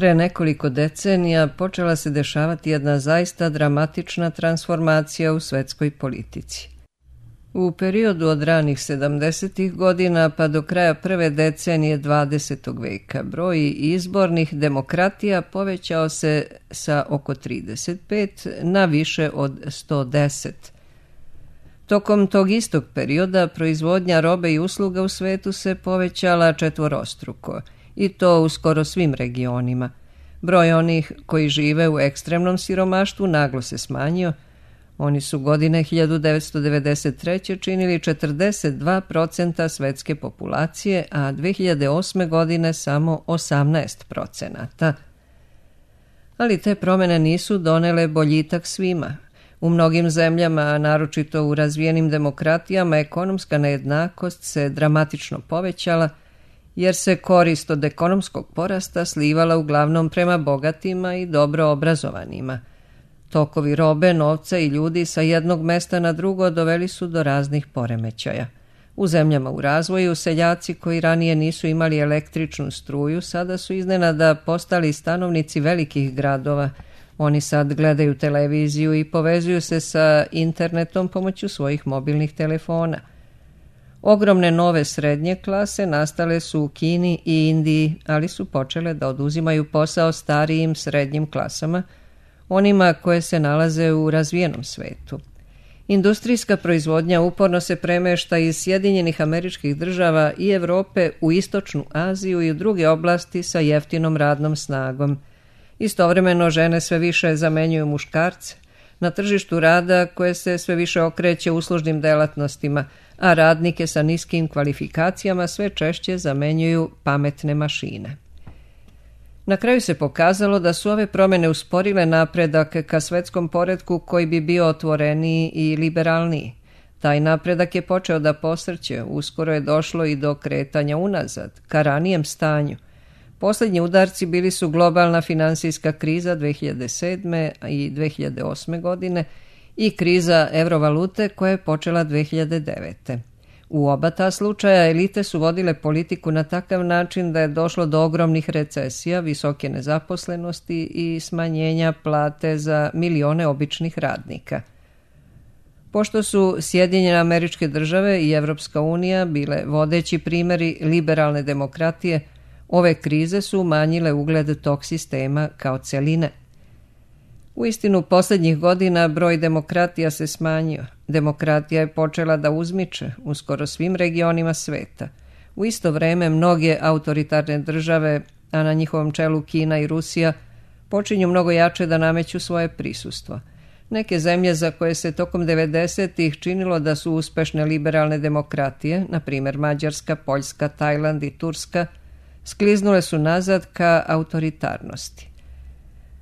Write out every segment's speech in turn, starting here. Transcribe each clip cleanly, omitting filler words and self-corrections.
Pre nekoliko decenija počela se dešavati jedna zaista dramatična transformacija u svetskoj politici. U periodu od ranih 70. godina pa do kraja prve decenije 20. veka broj izbornih demokratija povećao se sa oko 35 na više od 110. Tokom tog istog perioda proizvodnja robe i usluga u svetu se povećala četvorostruko, i to u skoro svim regionima. Broj onih koji žive u ekstremnom siromaštvu naglo se smanjio. Oni su godine 1993. činili 42% svetske populacije, a 2008. godine samo 18%. Ali te promene nisu donele boljitak svima. U mnogim zemljama, a naročito u razvijenim demokratijama, ekonomska nejednakost se dramatično povećala, jer se korist od ekonomskog porasta slivala uglavnom prema bogatima i dobro obrazovanima. Tokovi robe, novca i ljudi sa jednog mesta na drugo doveli su do raznih poremećaja. U zemljama u razvoju seljaci koji ranije nisu imali električnu struju sada su iznenada postali stanovnici velikih gradova. Oni sad gledaju televiziju i povezuju se sa internetom pomoću svojih mobilnih telefona. Ogromne nove srednje klase nastale su u Kini i Indiji, ali su počele da oduzimaju posao starijim srednjim klasama, onima koje se nalaze u razvijenom svetu. Industrijska proizvodnja uporno se premešta iz Sjedinjenih Američkih Država i Evrope u Istočnu Aziju i u druge oblasti sa jeftinom radnom snagom. Istovremeno žene sve više zamenjuju muškarce na tržištu rada koje se sve više okreće uslužnim delatnostima, a radnike sa niskim kvalifikacijama sve češće zamenjuju pametne mašine. Na kraju se pokazalo da su ove promjene usporile napredak ka svetskom poretku koji bi bio otvoreniji i liberalniji. Taj napredak je počeo da posrće, uskoro je došlo i do kretanja unazad, ka ranijem stanju. Posljednji udarci bili su globalna finansijska kriza 2007. i 2008. godine i kriza evrovalute koja je počela 2009. U oba ta slučaja elite su vodile politiku na takav način da je došlo do ogromnih recesija, visoke nezaposlenosti i smanjenja plate za milione običnih radnika. Pošto su Sjedinjene Američke Države i Evropska unija bile vodeći primjeri liberalne demokratije, ove krize su umanjile ugled tog sistema kao celine. Uistinu, posljednjih godina broj demokratija se smanjio. Demokratija je počela da uzmiče u skoro svim regionima sveta. U isto vreme mnoge autoritarne države, a na njihovom čelu Kina i Rusija, počinju mnogo jače da nameću svoje prisustvo. Neke zemlje za koje se tokom 90-ih činilo da su uspešne liberalne demokratije, na primjer Mađarska, Poljska, Tajland i Turska, skliznule su nazad ka autoritarnosti.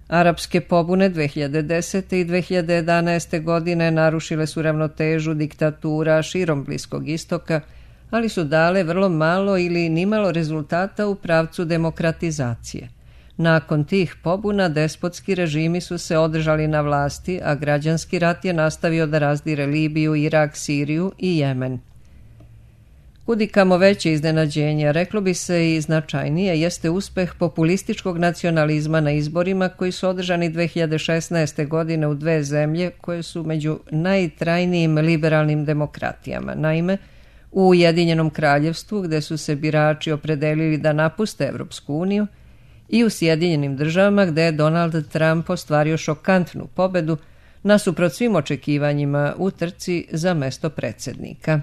Arapske pobune 2010. i 2011. godine narušile su ravnotežu diktatura širom Bliskog istoka, ali su dale vrlo malo ili nimalo rezultata u pravcu demokratizacije. Nakon tih pobuna despotski režimi su se održali na vlasti, a građanski rat je nastavio da razdire Libiju, Irak, Siriju i Jemen. Kudikamo veće iznenađenje, reklo bi se i značajnije, jeste uspeh populističkog nacionalizma na izborima koji su održani 2016. godine u dve zemlje koje su među najtrajnijim liberalnim demokratijama. Naime, u Ujedinjenom Kraljevstvu, gde su se birači opredelili da napuste Evropsku uniju, i u Sjedinjenim Državama, gde je Donald Trump ostvario šokantnu pobedu nasuprot svim očekivanjima u trci za mesto predsjednika.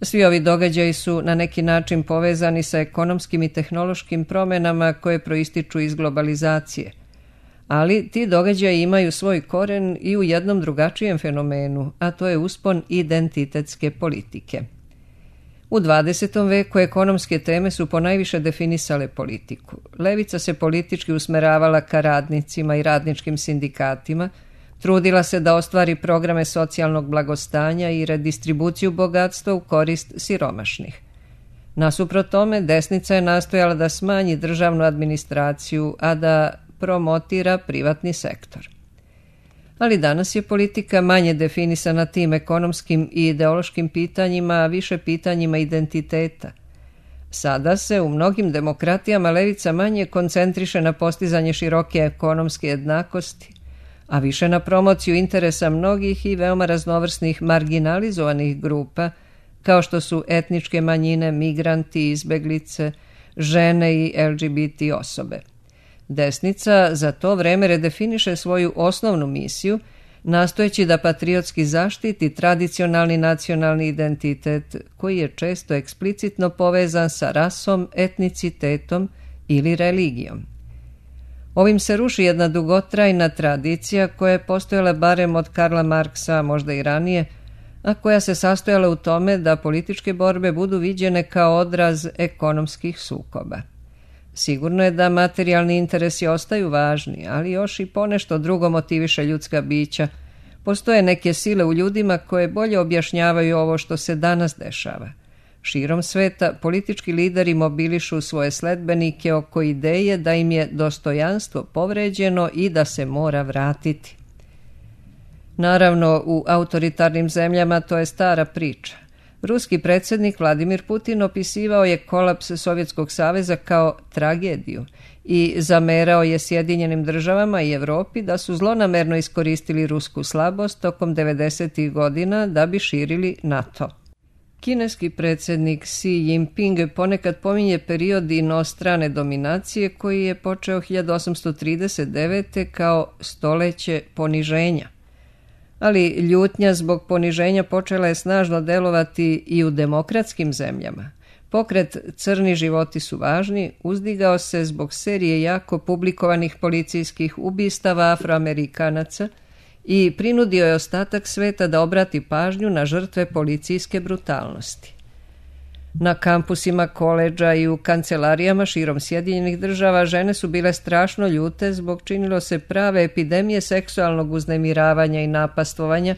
Svi ovi događaji su na neki način povezani sa ekonomskim i tehnološkim promjenama koje proističu iz globalizacije. Ali ti događaji imaju svoj koren i u jednom drugačijem fenomenu, a to je uspon identitetske politike. U 20. veku ekonomske teme su ponajviše definisale politiku. Levica se politički usmeravala ka radnicima i radničkim sindikatima, trudila se da ostvari programe socijalnog blagostanja i redistribuciju bogatstva u korist siromašnih. Nasuprot tome, desnica je nastojala da smanji državnu administraciju, a da promotira privatni sektor. Ali danas je politika manje definisana tim ekonomskim i ideološkim pitanjima, a više pitanjima identiteta. Sada se u mnogim demokratijama levica manje koncentriše na postizanje široke ekonomske jednakosti, a više na promociju interesa mnogih i veoma raznovrsnih marginalizovanih grupa, kao što su etničke manjine, migranti, izbeglice, žene i LGBT osobe. Desnica za to vreme redefiniše svoju osnovnu misiju, nastojeći da patriotski zaštiti tradicionalni nacionalni identitet koji je često eksplicitno povezan sa rasom, etnicitetom ili religijom. Ovim se ruši jedna dugotrajna tradicija koja je postojala barem od Karla Marksa, možda i ranije, a koja se sastojala u tome da političke borbe budu viđene kao odraz ekonomskih sukoba. Sigurno je da materijalni interesi ostaju važni, ali još i ponešto drugo motiviše ljudska bića. Postoje neke sile u ljudima koje bolje objašnjavaju ovo što se danas dešava. Širom sveta politički lideri mobilišu svoje sledbenike oko ideje da im je dostojanstvo povređeno i da se mora vratiti. Naravno, u autoritarnim zemljama to je stara priča. Ruski predsjednik Vladimir Putin opisivao je kolaps Sovjetskog saveza kao tragediju i zamerao je Sjedinjenim državama i Evropi da su zlonamerno iskoristili rusku slabost tokom 90. godina da bi širili NATO. Kineski predsjednik Xi Jinping ponekad pominje period inostrane dominacije koji je počeo 1839. kao stoljeće poniženja. Ali ljutnja zbog poniženja počela je snažno delovati i u demokratskim zemljama. Pokret Crni životi su važni uzdigao se zbog serije jako publikovanih policijskih ubistava Afroamerikanaca i prinudio je ostatak sveta da obrati pažnju na žrtve policijske brutalnosti. Na kampusima koledža i u kancelarijama širom Sjedinjenih država žene su bile strašno ljute zbog činilo se prave epidemije seksualnog uznemiravanja i napastvovanja,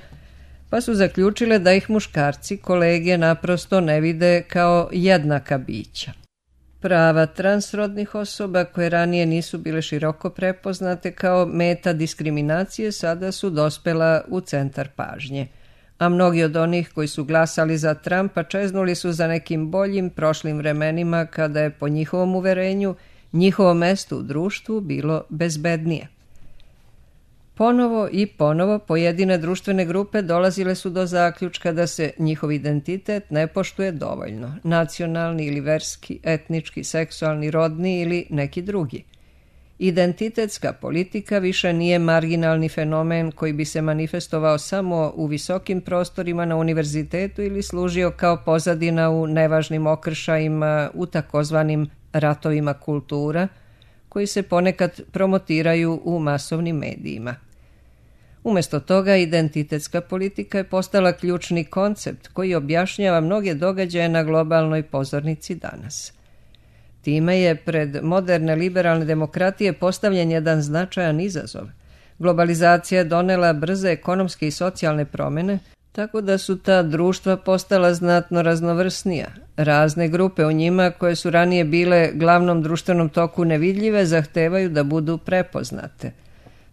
pa su zaključile da ih muškarci, kolege, naprosto ne vide kao jednaka bića. Prava transrodnih osoba koje ranije nisu bile široko prepoznate kao meta diskriminacije sada su dospela u centar pažnje, a mnogi od onih koji su glasali za Trumpa čeznuli su za nekim boljim prošlim vremenima kada je po njihovom uverenju njihovo mesto u društvu bilo bezbednije. Ponovo i ponovo pojedine društvene grupe dolazile su do zaključka da se njihov identitet ne poštuje dovoljno, nacionalni ili verski, etnički, seksualni, rodni ili neki drugi. Identitetska politika više nije marginalni fenomen koji bi se manifestovao samo u visokim prostorima na univerzitetu ili služio kao pozadina u nevažnim okršajima u takozvanim ratovima kultura, koji se ponekad promotiraju u masovnim medijima. Umjesto toga, identitetska politika je postala ključni koncept koji objašnjava mnoge događaje na globalnoj pozornici danas. Time je pred moderne liberalne demokratije postavljen jedan značajan izazov. Globalizacija je donela brze ekonomske i socijalne promjene, tako da su ta društva postala znatno raznovrsnija. Razne grupe u njima, koje su ranije bile glavnom društvenom toku nevidljive, zahtevaju da budu prepoznate.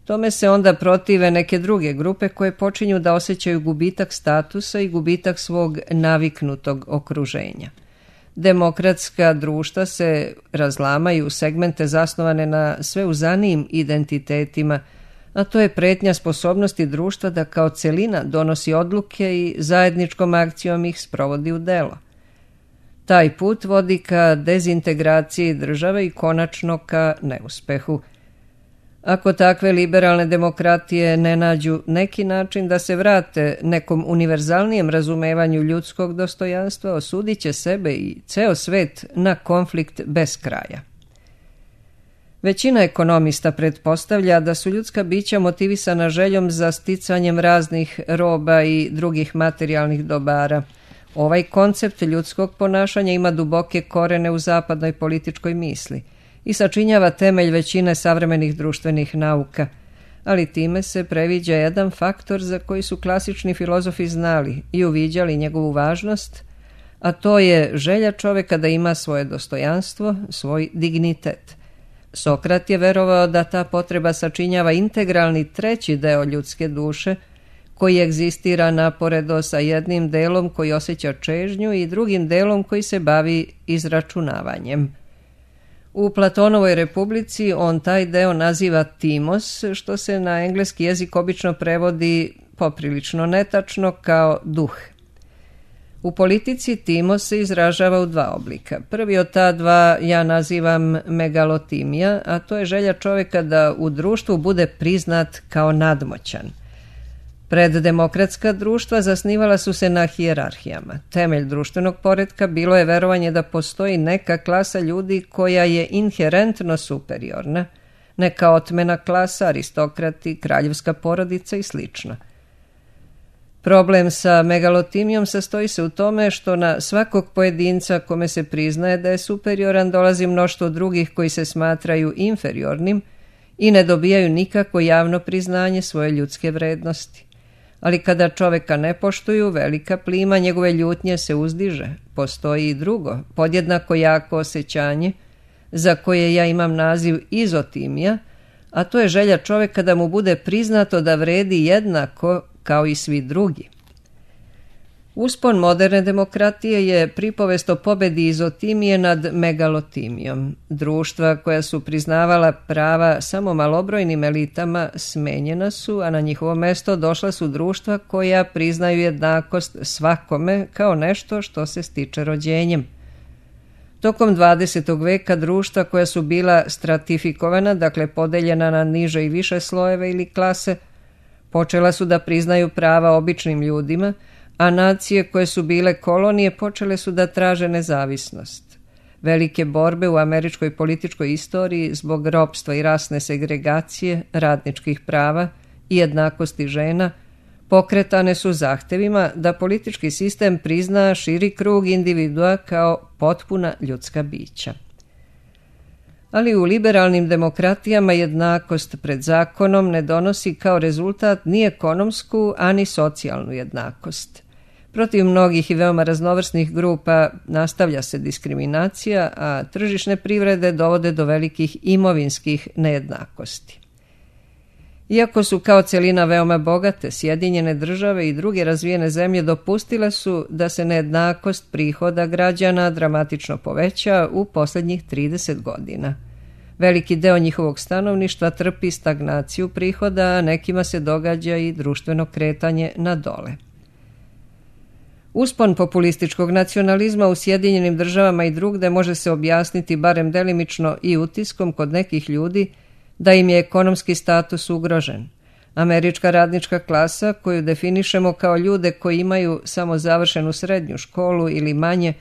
Tome se onda protive neke druge grupe koje počinju da osjećaju gubitak statusa i gubitak svog naviknutog okruženja. Demokratska društva se razlamaju u segmente zasnovane na sveuzanijim identitetima, a to je pretnja sposobnosti društva da kao celina donosi odluke i zajedničkom akcijom ih sprovodi u delo. Taj put vodi ka dezintegraciji države i konačno ka neuspehu. Ako takve liberalne demokratije ne nađu neki način da se vrate nekom univerzalnijem razumevanju ljudskog dostojanstva, osudit će sebe i ceo svet na konflikt bez kraja. Većina ekonomista pretpostavlja da su ljudska bića motivisana željom za sticanjem raznih roba i drugih materijalnih dobara. Ovaj koncept ljudskog ponašanja ima duboke korene u zapadnoj političkoj misli i sačinjava temelj većine savremenih društvenih nauka, ali time se previđa jedan faktor za koji su klasični filozofi znali i uviđali njegovu važnost, a to je želja čovjeka da ima svoje dostojanstvo, svoj dignitet. Sokrat je verovao da ta potreba sačinjava integralni treći deo ljudske duše, koji egzistira naporedo sa jednim delom koji osjeća čežnju i drugim delom koji se bavi izračunavanjem. U Platonovoj Republici on taj deo naziva timos, što se na engleski jezik obično prevodi poprilično netačno kao duh. U politici timos se izražava u dva oblika. Prvi od ta dva ja nazivam megalotimija, a to je želja čovjeka da u društvu bude priznat kao nadmoćan. Preddemokratska društva zasnivala su se na hijerarhijama. Temelj društvenog poretka bilo je verovanje da postoji neka klasa ljudi koja je inherentno superiorna, neka otmena klasa, aristokrati, kraljevska porodica i slično. Problem sa megalotimijom sastoji se u tome što na svakog pojedinca kome se priznaje da je superioran dolazi mnoštvo drugih koji se smatraju inferiornim i ne dobijaju nikako javno priznanje svoje ljudske vrednosti. Ali kada čoveka ne poštuju, velika plima njegove ljutnje se uzdiže. Postoji i drugo, podjednako jako osjećanje, za koje ja imam naziv izotimija, a to je želja čoveka da mu bude priznato da vredi jednako kao i svi drugi. Uspon moderne demokratije je pripovest o pobedi izotimije nad megalotimijom. Društva koja su priznavala prava samo malobrojnim elitama smenjena su, a na njihovo mesto došla su društva koja priznaju jednakost svakome kao nešto što se stiče rođenjem. Tokom 20. veka društva koja su bila stratifikovana, dakle podeljena na niže i više slojeve ili klase, počela su da priznaju prava običnim ljudima, a nacije koje su bile kolonije počele su da traže nezavisnost. Velike borbe u američkoj političkoj istoriji zbog ropstva i rasne segregacije, radničkih prava i jednakosti žena pokretane su zahtevima da politički sistem prizna širi krug individua kao potpuna ljudska bića. Ali u liberalnim demokratijama jednakost pred zakonom ne donosi kao rezultat ni ekonomsku, ani socijalnu jednakost. Protiv mnogih i veoma raznovrsnih grupa nastavlja se diskriminacija, a tržišne privrede dovode do velikih imovinskih nejednakosti. Iako su kao celina veoma bogate, Sjedinjene Države i druge razvijene zemlje dopustile su da se nejednakost prihoda građana dramatično poveća u posljednjih 30 godina. Veliki deo njihovog stanovništva trpi stagnaciju prihoda, a nekima se događa i društveno kretanje na dole. Uspon populističkog nacionalizma u Sjedinjenim Državama i drugde može se objasniti barem delimično i utiskom kod nekih ljudi da im je ekonomski status ugrožen. Američka radnička klasa, koju definišemo kao ljude koji imaju samo završenu srednju školu ili manje,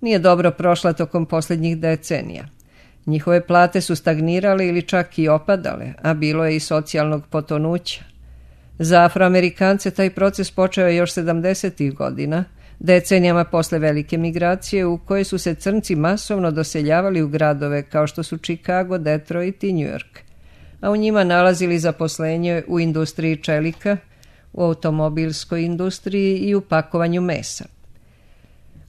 nije dobro prošla tokom posljednjih decenija. Njihove plate su stagnirale ili čak i opadale, a bilo je i socijalnog potonuća. Za Afroamerikance taj proces počeo je još 70. godina, decenijama posle velike migracije u kojoj su se crnci masovno doseljavali u gradove kao što su Chicago, Detroit i New York, a u njima nalazili zaposlenje u industriji čelika, u automobilskoj industriji i u pakovanju mesa.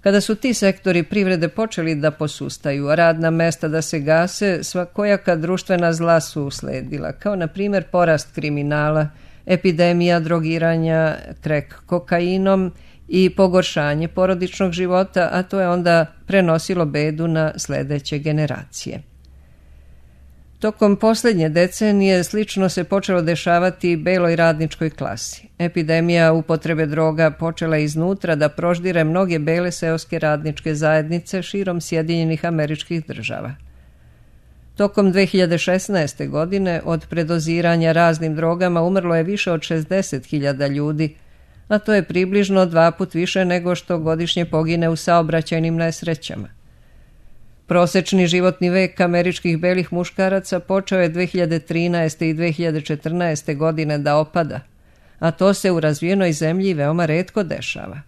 Kada su ti sektori privrede počeli da posustaju, a radna mesta da se gase, svakojaka društvena zla su usledila, kao na primjer porast kriminala, epidemija drogiranja crack kokainom i pogoršanje porodičnog života, a to je onda prenosilo bedu na sljedeće generacije. Tokom posljednje decenije slično se počelo dešavati i beloj radničkoj klasi. Epidemija upotrebe droga počela iznutra da proždire mnoge bele seoske radničke zajednice širom Sjedinjenih Američkih Država. Tokom 2016. godine od predoziranja raznim drogama umrlo je više od 60.000 ljudi, a to je približno 2 puta više nego što godišnje pogine u saobraćajnim nesrećama. Prosečni životni vek američkih belih muškaraca počeo je 2013. i 2014. godine da opada, a to se u razvijenoj zemlji veoma retko dešava.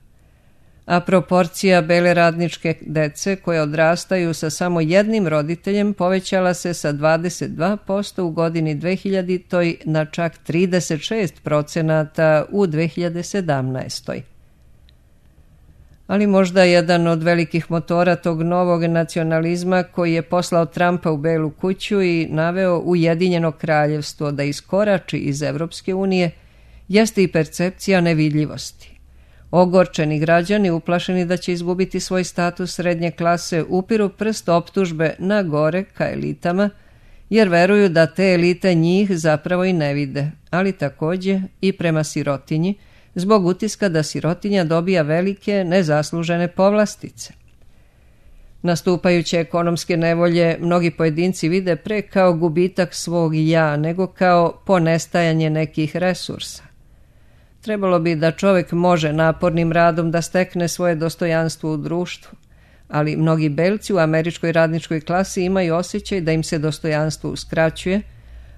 A proporcija bele radničke dece koje odrastaju sa samo jednim roditeljem povećala se sa 22% u godini 2000. na čak 36% u 2017. Ali možda jedan od velikih motora tog novog nacionalizma koji je poslao Trumpa u Belu kuću i naveo Ujedinjeno kraljevstvo da iskorači iz Evropske unije jeste i percepcija nevidljivosti. Ogorčeni građani, uplašeni da će izgubiti svoj status srednje klase, upiru prst optužbe na gore ka elitama, jer veruju da te elite njih zapravo i ne vide, ali također i prema sirotinji, zbog utiska da sirotinja dobija velike nezaslužene povlastice. Nastupajuće ekonomske nevolje mnogi pojedinci vide pre kao gubitak svog ja, nego kao ponestajanje nekih resursa. Trebalo bi da čovjek može napornim radom da stekne svoje dostojanstvo u društvu, ali mnogi belci u američkoj radničkoj klasi imaju osjećaj da im se dostojanstvo uskraćuje,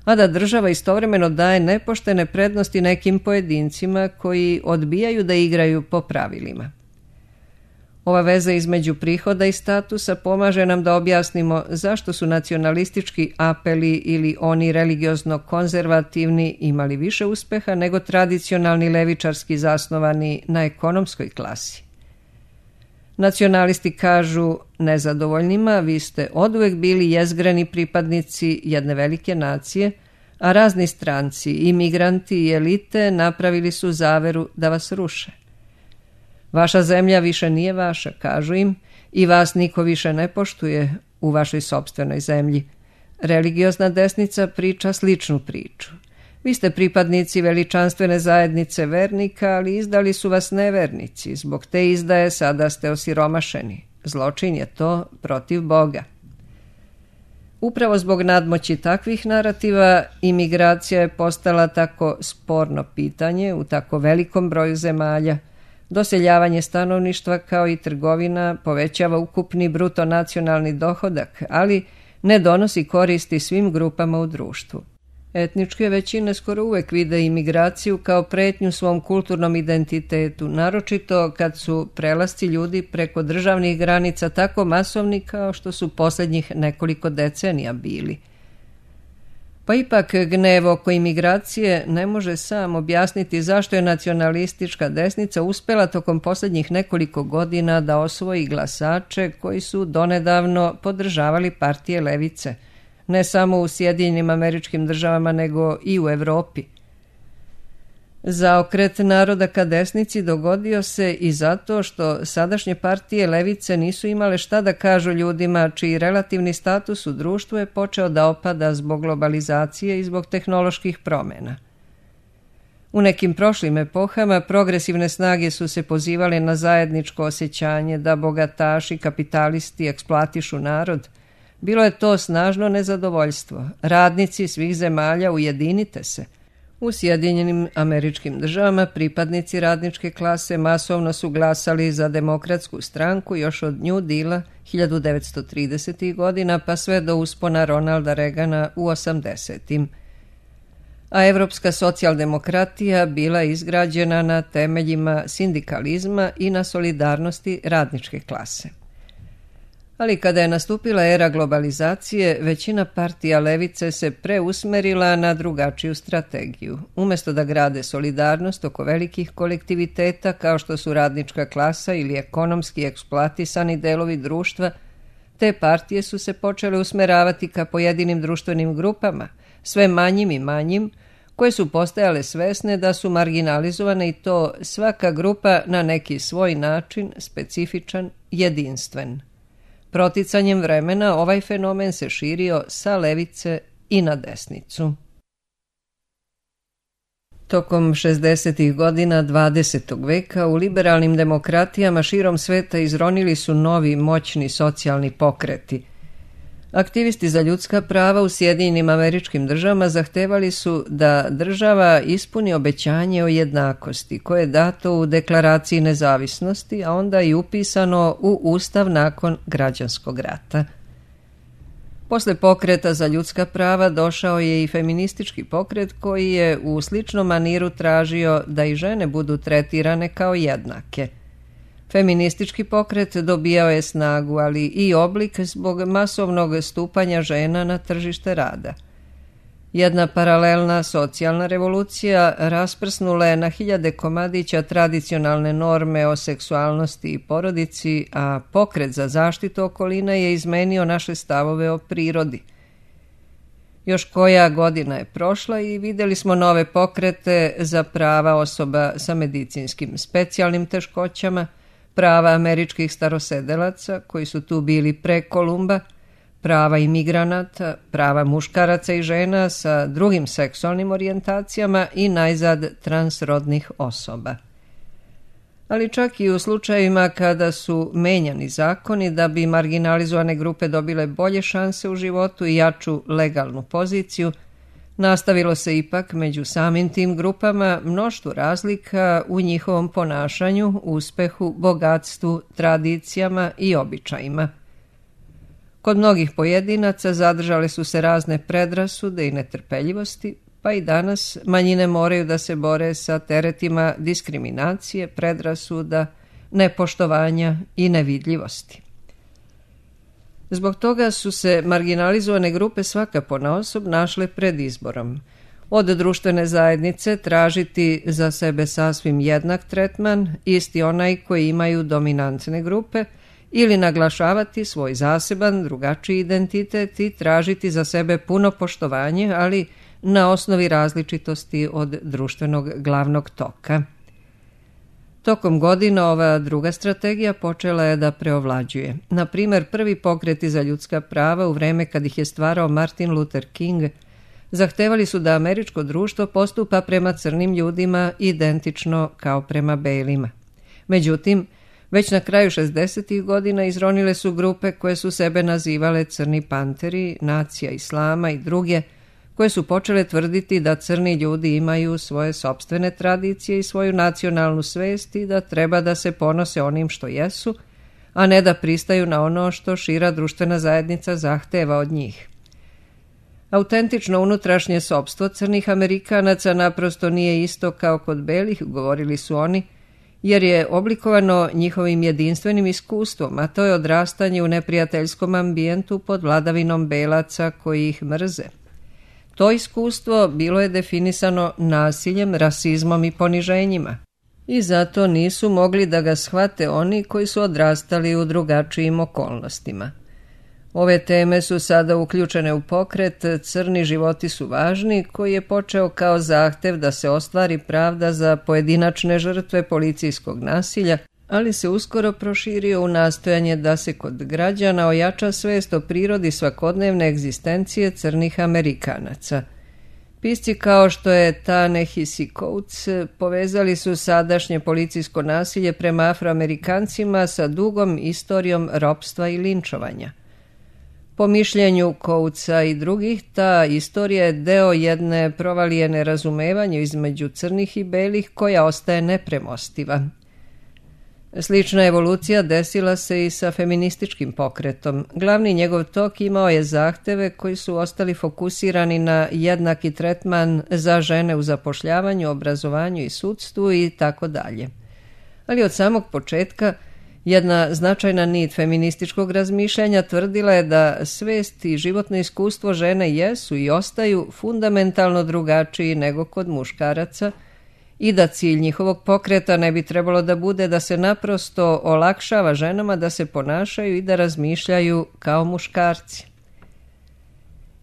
a da država istovremeno daje nepoštene prednosti nekim pojedincima koji odbijaju da igraju po pravilima. Ova veza između prihoda i statusa pomaže nam da objasnimo zašto su nacionalistički apeli ili oni religiozno konzervativni imali više uspeha nego tradicionalni levičarski zasnovani na ekonomskoj klasi. Nacionalisti kažu nezadovoljnima: vi ste oduvek bili jezgreni pripadnici jedne velike nacije, a razni stranci, imigranti i elite napravili su zaveru da vas ruše. Vaša zemlja više nije vaša, kažu im, i vas niko više ne poštuje u vašoj sopstvenoj zemlji. Religiozna desnica priča sličnu priču. Vi ste pripadnici veličanstvene zajednice vernika, ali izdali su vas nevernici. Zbog te izdaje sada ste osiromašeni. Zločin je to protiv Boga. Upravo zbog nadmoći takvih narativa, imigracija je postala tako sporno pitanje u tako velikom broju zemalja. Doseljavanje stanovništva kao i trgovina povećava ukupni bruto nacionalni dohodak, ali ne donosi koristi svim grupama u društvu. Etničke većine skoro uvek vide imigraciju kao pretnju svom kulturnom identitetu, naročito kad su prelasci ljudi preko državnih granica tako masovni kao što su posljednjih nekoliko decenija bili. Pa ipak gnev oko imigracije ne može sam objasniti zašto je nacionalistička desnica uspjela tokom posljednjih nekoliko godina da osvoji glasače koji su donedavno podržavali partije levice, ne samo u Sjedinjenim Američkim Državama nego i u Europi. Zaokret naroda ka desnici dogodio se i zato što sadašnje partije levice nisu imale šta da kažu ljudima čiji relativni status u društvu je počeo da opada zbog globalizacije i zbog tehnoloških promjena. U nekim prošlim epohama progresivne snage su se pozivale na zajedničko osjećanje da bogataši, kapitalisti eksploatišu narod. Bilo je to snažno nezadovoljstvo. Radnici svih zemalja, ujedinite se. U Sjedinjenim Američkim Državama pripadnici radničke klase masovno su glasali za demokratsku stranku još od New Deala 1930. godina pa sve do uspona Ronalda Reagana u 80. A evropska socijaldemokratija bila izgrađena na temeljima sindikalizma i na solidarnosti radničke klase. Ali kada je nastupila era globalizacije, većina partija levice se preusmerila na drugačiju strategiju. Umjesto da grade solidarnost oko velikih kolektiviteta kao što su radnička klasa ili ekonomski eksploatisani delovi društva, te partije su se počele usmeravati ka pojedinim društvenim grupama, sve manjim i manjim, koje su postajale svesne da su marginalizovane i to svaka grupa na neki svoj način, specifičan, jedinstven. Proticanjem vremena ovaj fenomen se širio sa levice i na desnicu. Tokom 60. godina 20. veka u liberalnim demokratijama širom sveta izronili su novi moćni socijalni pokreti. Aktivisti za ljudska prava u Sjedinjenim Američkim Državama zahtevali su da država ispuni obećanje o jednakosti koje je dato u Deklaraciji nezavisnosti, a onda i upisano u Ustav nakon građanskog rata. Posle pokreta za ljudska prava došao je i feministički pokret koji je u sličnom maniru tražio da i žene budu tretirane kao jednake. Feministički pokret dobijao je snagu, ali i oblik zbog masovnog stupanja žena na tržište rada. Jedna paralelna socijalna revolucija rasprsnula je na hiljade komadića tradicionalne norme o seksualnosti i porodici, a pokret za zaštitu okoline je izmenio naše stavove o prirodi. Još koja godina je prošla i vidjeli smo nove pokrete za prava osoba sa medicinskim specijalnim teškoćama, prava američkih starosedelaca koji su tu bili pre Kolumba, prava imigranata, prava muškaraca i žena sa drugim seksualnim orijentacijama i najzad transrodnih osoba. Ali čak i u slučajevima kada su menjani zakoni da bi marginalizovane grupe dobile bolje šanse u životu i jaču legalnu poziciju, nastavilo se ipak među samim tim grupama mnoštvo razlika u njihovom ponašanju, uspehu, bogatstvu, tradicijama i običajima. Kod mnogih pojedinaca zadržale su se razne predrasude i netrpeljivosti, pa i danas manjine moraju da se bore sa teretima diskriminacije, predrasuda, nepoštovanja i nevidljivosti. Zbog toga su se marginalizovane grupe svaka ponaosob našle pred izborom. Od društvene zajednice tražiti za sebe sasvim jednak tretman, isti onaj koji imaju dominantne grupe, ili naglašavati svoj zaseban, drugačiji identitet i tražiti za sebe puno poštovanje, ali na osnovi različitosti od društvenog glavnog toka. Tokom godina ova druga strategija počela je da preovlađuje. Na primjer, prvi pokreti za ljudska prava u vreme kad ih je stvarao Martin Luther King zahtevali su da američko društvo postupa prema crnim ljudima identično kao prema belima. Međutim, već na kraju 60. godina izronile su grupe koje su sebe nazivale Crni panteri, Nacija Islama i druge, koje su počele tvrditi da crni ljudi imaju svoje sopstvene tradicije i svoju nacionalnu svest i da treba da se ponose onim što jesu, a ne da pristaju na ono što šira društvena zajednica zahteva od njih. Autentično unutrašnje sopstvo crnih Amerikanaca naprosto nije isto kao kod belih, govorili su oni, jer je oblikovano njihovim jedinstvenim iskustvom, a to je odrastanje u neprijateljskom ambijentu pod vladavinom belaca koji ih mrze. To iskustvo bilo je definisano nasiljem, rasizmom i poniženjima i zato nisu mogli da ga shvate oni koji su odrastali u drugačijim okolnostima. Ove teme su sada uključene u pokret Crni životi su važni, koji je počeo kao zahtev da se ostvari pravda za pojedinačne žrtve policijskog nasilja, ali se uskoro proširio u nastojanje da se kod građana ojača svest o prirodi svakodnevne egzistencije crnih Amerikanaca. Pisci kao što je Ta-Nehisi Coates povezali su sadašnje policijsko nasilje prema Afroamerikancima sa dugom istorijom ropstva i linčovanja. Po mišljenju Coatesa i drugih, ta istorija je deo jedne provalije nerazumevanja između crnih i belih koja ostaje nepremostiva. Slična evolucija desila se i sa feminističkim pokretom. Glavni njegov tok imao je zahteve koji su ostali fokusirani na jednaki tretman za žene u zapošljavanju, obrazovanju i sudstvu i tako dalje. Ali od samog početka jedna značajna nit feminističkog razmišljanja tvrdila je da svest i životno iskustvo žene jesu i ostaju fundamentalno drugačiji nego kod muškaraca i da cilj njihovog pokreta ne bi trebalo da bude da se naprosto olakšava ženama da se ponašaju i da razmišljaju kao muškarci.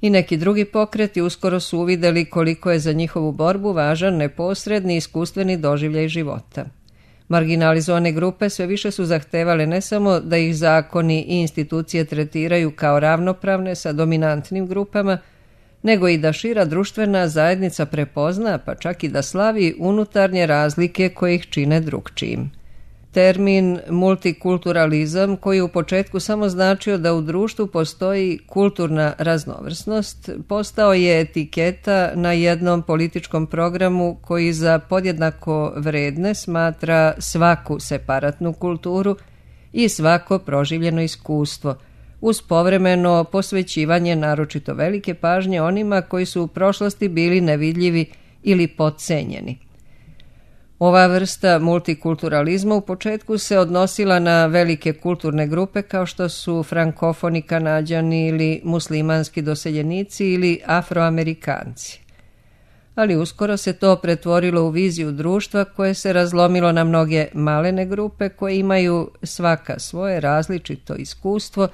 I neki drugi pokreti uskoro su uvideli koliko je za njihovu borbu važan neposredni iskustveni doživljaj života. Marginalizovane grupe sve više su zahtevale ne samo da ih zakoni i institucije tretiraju kao ravnopravne sa dominantnim grupama, nego i da šira društvena zajednica prepozna, pa čak i da slavi unutarnje razlike koje ih čine drukčijim. Termin multikulturalizam, koji u početku samo značio da u društvu postoji kulturna raznovrsnost, postao je etiketa na jednom političkom programu koji za podjednako vredne smatra svaku separatnu kulturu i svako proživljeno iskustvo, uz povremeno posvećivanje naročito velike pažnje onima koji su u prošlosti bili nevidljivi ili podcenjeni. Ova vrsta multikulturalizma u početku se odnosila na velike kulturne grupe kao što su frankofoni Kanađani ili muslimanski doseljenici ili Afroamerikanci. Ali uskoro se to pretvorilo u viziju društva koje se razlomilo na mnoge malene grupe koje imaju svaka svoje različito iskustvo,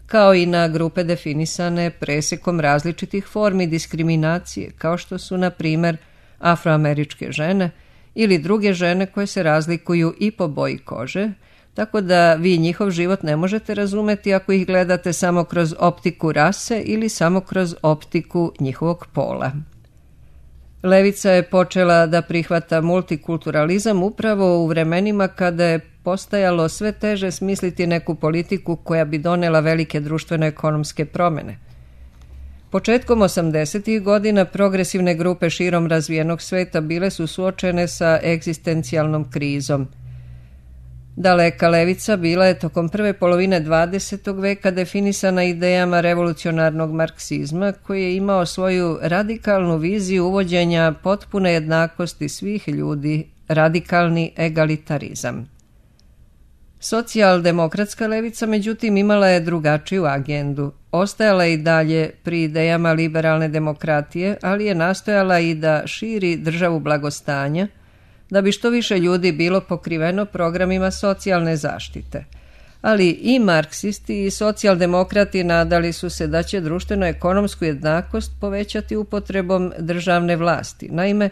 kao i na grupe definisane presekom različitih formi diskriminacije, kao što su, na primjer, afroameričke žene ili druge žene koje se razlikuju i po boji kože, tako da vi njihov život ne možete razumeti ako ih gledate samo kroz optiku rase ili samo kroz optiku njihovog pola. Levica je počela da prihvata multikulturalizam upravo u vremenima kada je postajalo sve teže smisliti neku politiku koja bi donela velike društveno-ekonomske promjene. Početkom 80. godina progresivne grupe širom razvijenog sveta bile su suočene sa egzistencijalnom krizom. Daleka levica bila je tokom prve polovine 20. veka definisana idejama revolucionarnog marksizma, koji je imao svoju radikalnu viziju uvođenja potpune jednakosti svih ljudi, radikalni egalitarizam. Socijaldemokratska levica, međutim, imala je drugačiju agendu. Ostajala je i dalje pri idejama liberalne demokratije, ali je nastojala i da širi državu blagostanja, da bi što više ljudi bilo pokriveno programima socijalne zaštite. Ali i marksisti i socijaldemokrati nadali su se da će društveno-ekonomsku jednakost povećati upotrebom državne vlasti. Naime,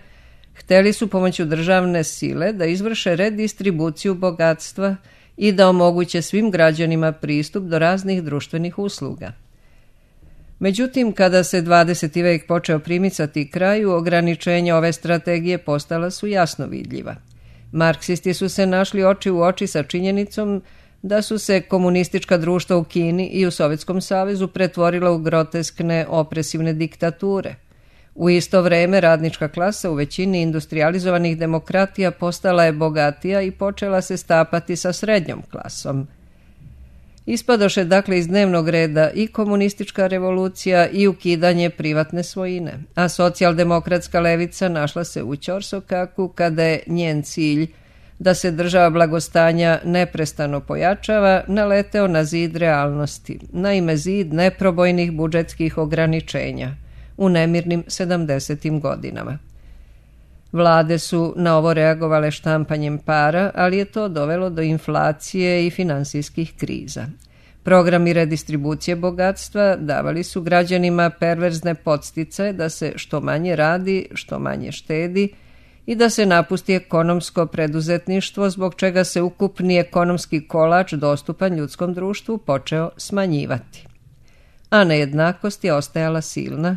hteli su pomoću državne sile da izvrše redistribuciju bogatstva i da omoguće svim građanima pristup do raznih društvenih usluga. Međutim, kada se 20. vek počeo primicati kraju, ograničenja ove strategije postala su jasno vidljiva. Marksisti su se našli oči u oči sa činjenicom da su se komunistička društva u Kini i u Sovjetskom savezu pretvorila u groteskne opresivne diktature. U isto vrijeme radnička klasa u većini industrializovanih demokratija postala je bogatija i počela se stapati sa srednjom klasom. Ispadoše dakle iz dnevnog reda i komunistička revolucija i ukidanje privatne svojine, a socijaldemokratska levica našla se u ćorsokaku kada je njen cilj da se država blagostanja neprestano pojačava naleteo na zid realnosti, naime zid neprobojnih budžetskih ograničenja u nemirnim 70. godinama. Vlade su na ovo reagovale štampanjem para, ali je to dovelo do inflacije i finansijskih kriza. Programi redistribucije bogatstva davali su građanima perverzne podsticaje da se što manje radi, što manje štedi i da se napusti ekonomsko preduzetništvo, zbog čega se ukupni ekonomski kolač dostupan ljudskom društvu počeo smanjivati. A nejednakost je ostajala silna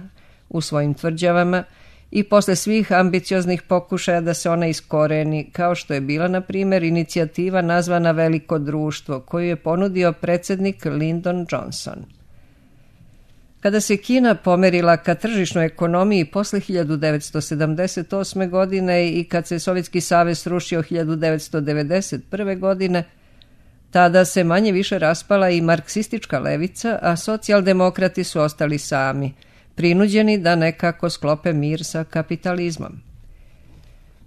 u svojim tvrđavama i posle svih ambicioznih pokušaja da se ona iskoreni, kao što je bila, na primjer, inicijativa nazvana Veliko društvo, koju je ponudio predsjednik Lyndon Johnson. Kada se Kina pomerila ka tržišnoj ekonomiji posle 1978. godine i kad se Sovjetski savez srušio 1991. godine, tada se manje više raspala i marksistička levica, a socijaldemokrati su ostali sami, prinuđeni da nekako sklope mir sa kapitalizmom.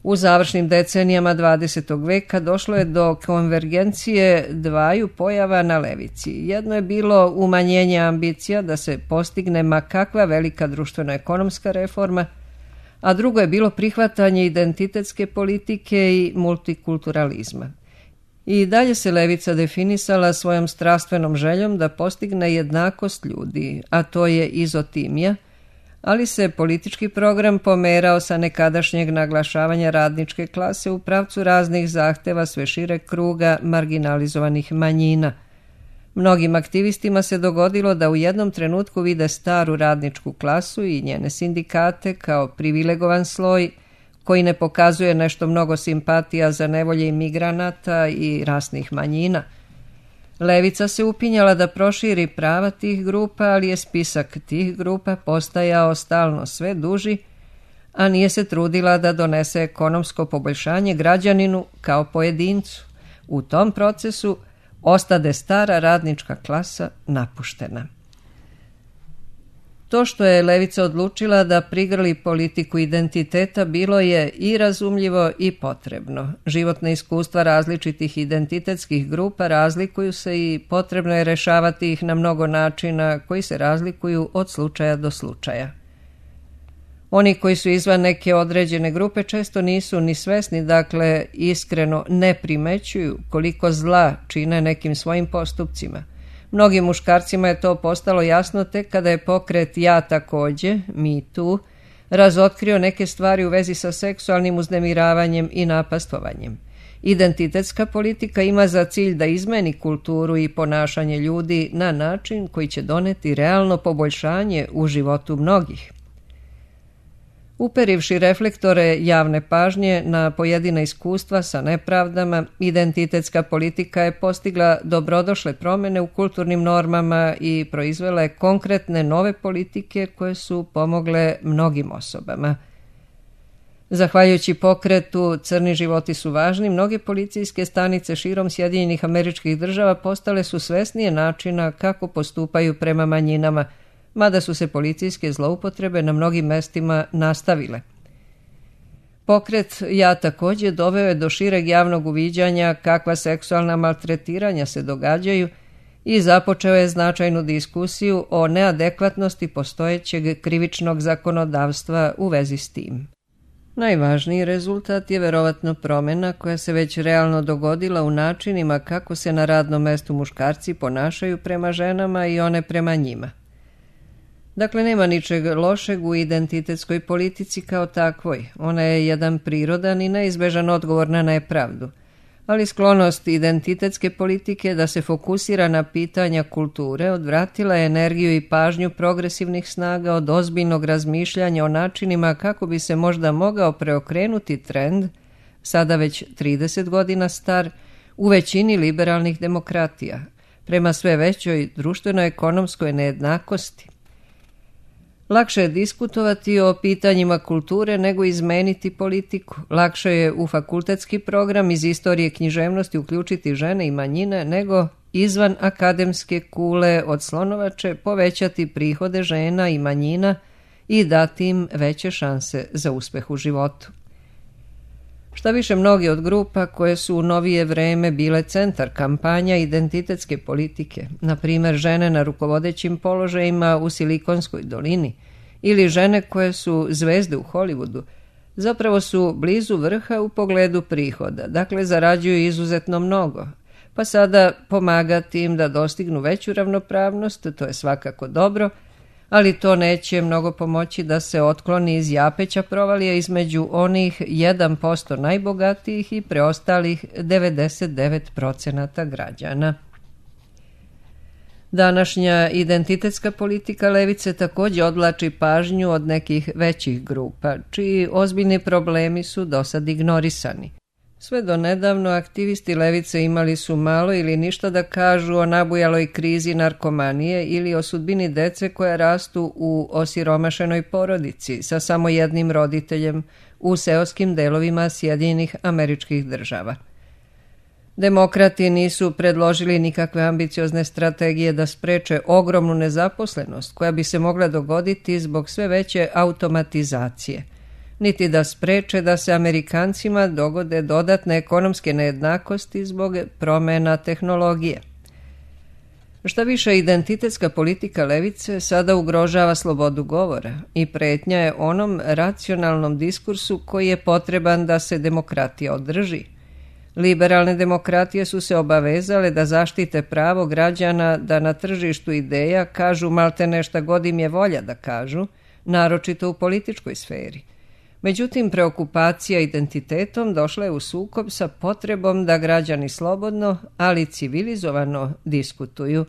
U završnim decenijama 20. veka došlo je do konvergencije dvaju pojava na levici. Jedno je bilo umanjenje ambicija da se postigne ma kakva velika društveno-ekonomska reforma, a drugo je bilo prihvatanje identitetske politike i multikulturalizma. I dalje se levica definisala svojom strastvenom željom da postigne jednakost ljudi, a to je izotimija, ali se politički program pomerao sa nekadašnjeg naglašavanja radničke klase u pravcu raznih zahteva sve šireg kruga marginalizovanih manjina. Mnogim aktivistima se dogodilo da u jednom trenutku vide staru radničku klasu i njene sindikate kao privilegovan sloj koji ne pokazuje nešto mnogo simpatija za nevolje imigranata i rasnih manjina. Levica se upinjala da proširi prava tih grupa, ali je spisak tih grupa postajao stalno sve duži, a nije se trudila da donese ekonomsko poboljšanje građaninu kao pojedincu. U tom procesu ostade stara radnička klasa napuštena. To što je levica odlučila da prigrli politiku identiteta bilo je i razumljivo i potrebno. Životna iskustva različitih identitetskih grupa razlikuju se i potrebno je rešavati ih na mnogo načina koji se razlikuju od slučaja do slučaja. Oni koji su izvan neke određene grupe često nisu ni svesni, dakle iskreno ne primećuju koliko zla čine nekim svojim postupcima. Mnogim muškarcima je to postalo jasno tek kada je pokret Ja takođe, Me Too, razotkrio neke stvari u vezi sa seksualnim uznemiravanjem i napastovanjem. Identitetska politika ima za cilj da izmeni kulturu i ponašanje ljudi na način koji će doneti realno poboljšanje u životu mnogih. Uperivši reflektore javne pažnje na pojedina iskustva sa nepravdama, identitetska politika je postigla dobrodošle promjene u kulturnim normama i proizvela je konkretne nove politike koje su pomogle mnogim osobama. Zahvaljujući pokretu Crni životi su važni, mnoge policijske stanice širom Sjedinjenih Američkih Država postale su svesnije načina kako postupaju prema manjinama, mada su se policijske zloupotrebe na mnogim mestima nastavile. Pokret Ja takođe doveo je do šireg javnog uviđanja kakva seksualna maltretiranja se događaju i započeo je značajnu diskusiju o neadekvatnosti postojećeg krivičnog zakonodavstva u vezi s tim. Najvažniji rezultat je verovatno promjena koja se već realno dogodila u načinima kako se na radnom mestu muškarci ponašaju prema ženama i one prema njima. Dakle, nema ničeg lošeg u identitetskoj politici kao takvoj. Ona je jedan prirodan i neizbežan odgovor na nepravdu. Ali sklonost identitetske politike da se fokusira na pitanja kulture odvratila je energiju i pažnju progresivnih snaga od ozbiljnog razmišljanja o načinima kako bi se možda mogao preokrenuti trend, sada već 30 godina star, u većini liberalnih demokratija, prema sve većoj društveno-ekonomskoj nejednakosti. Lakše je diskutovati o pitanjima kulture nego izmeniti politiku. Lakše je u fakultetski program iz istorije književnosti uključiti žene i manjine nego izvan akademske kule od slonovače povećati prihode žena i manjina i dati im veće šanse za uspeh u životu. Šta više, mnogi od grupa koje su u novije vreme bile centar kampanja identitetske politike, na primjer žene na rukovodećim položajima u Silikonskoj dolini ili žene koje su zvezde u Hollywoodu, zapravo su blizu vrha u pogledu prihoda, dakle zarađuju izuzetno mnogo, pa sada pomagati im da dostignu veću ravnopravnost, to je svakako dobro, ali to neće mnogo pomoći da se otkloni iz japeća provalija između onih 1% najbogatijih i preostalih 99% građana. Današnja identitetska politika levice također odvlači pažnju od nekih većih grupa, čiji ozbiljni problemi su dosad ignorisani. Sve do nedavno aktivisti levice imali su malo ili ništa da kažu o nabujaloj krizi narkomanije ili o sudbini dece koja rastu u osiromašenoj porodici sa samo jednim roditeljem u seoskim delovima Sjedinjenih Američkih Država. Demokrati nisu predložili nikakve ambiciozne strategije da spreče ogromnu nezaposlenost koja bi se mogla dogoditi zbog sve veće automatizacije, niti da spreče da se Amerikancima dogode dodatne ekonomske nejednakosti zbog promjena tehnologije. Šta više, identitetska politika levice sada ugrožava slobodu govora i pretnja je onom racionalnom diskursu koji je potreban da se demokratija održi. Liberalne demokratije su se obavezale da zaštite pravo građana da na tržištu ideja kažu maltene šta god im je volja da kažu, naročito u političkoj sferi. Međutim, preokupacija identitetom došla je u sukob sa potrebom da građani slobodno, ali civilizovano diskutuju.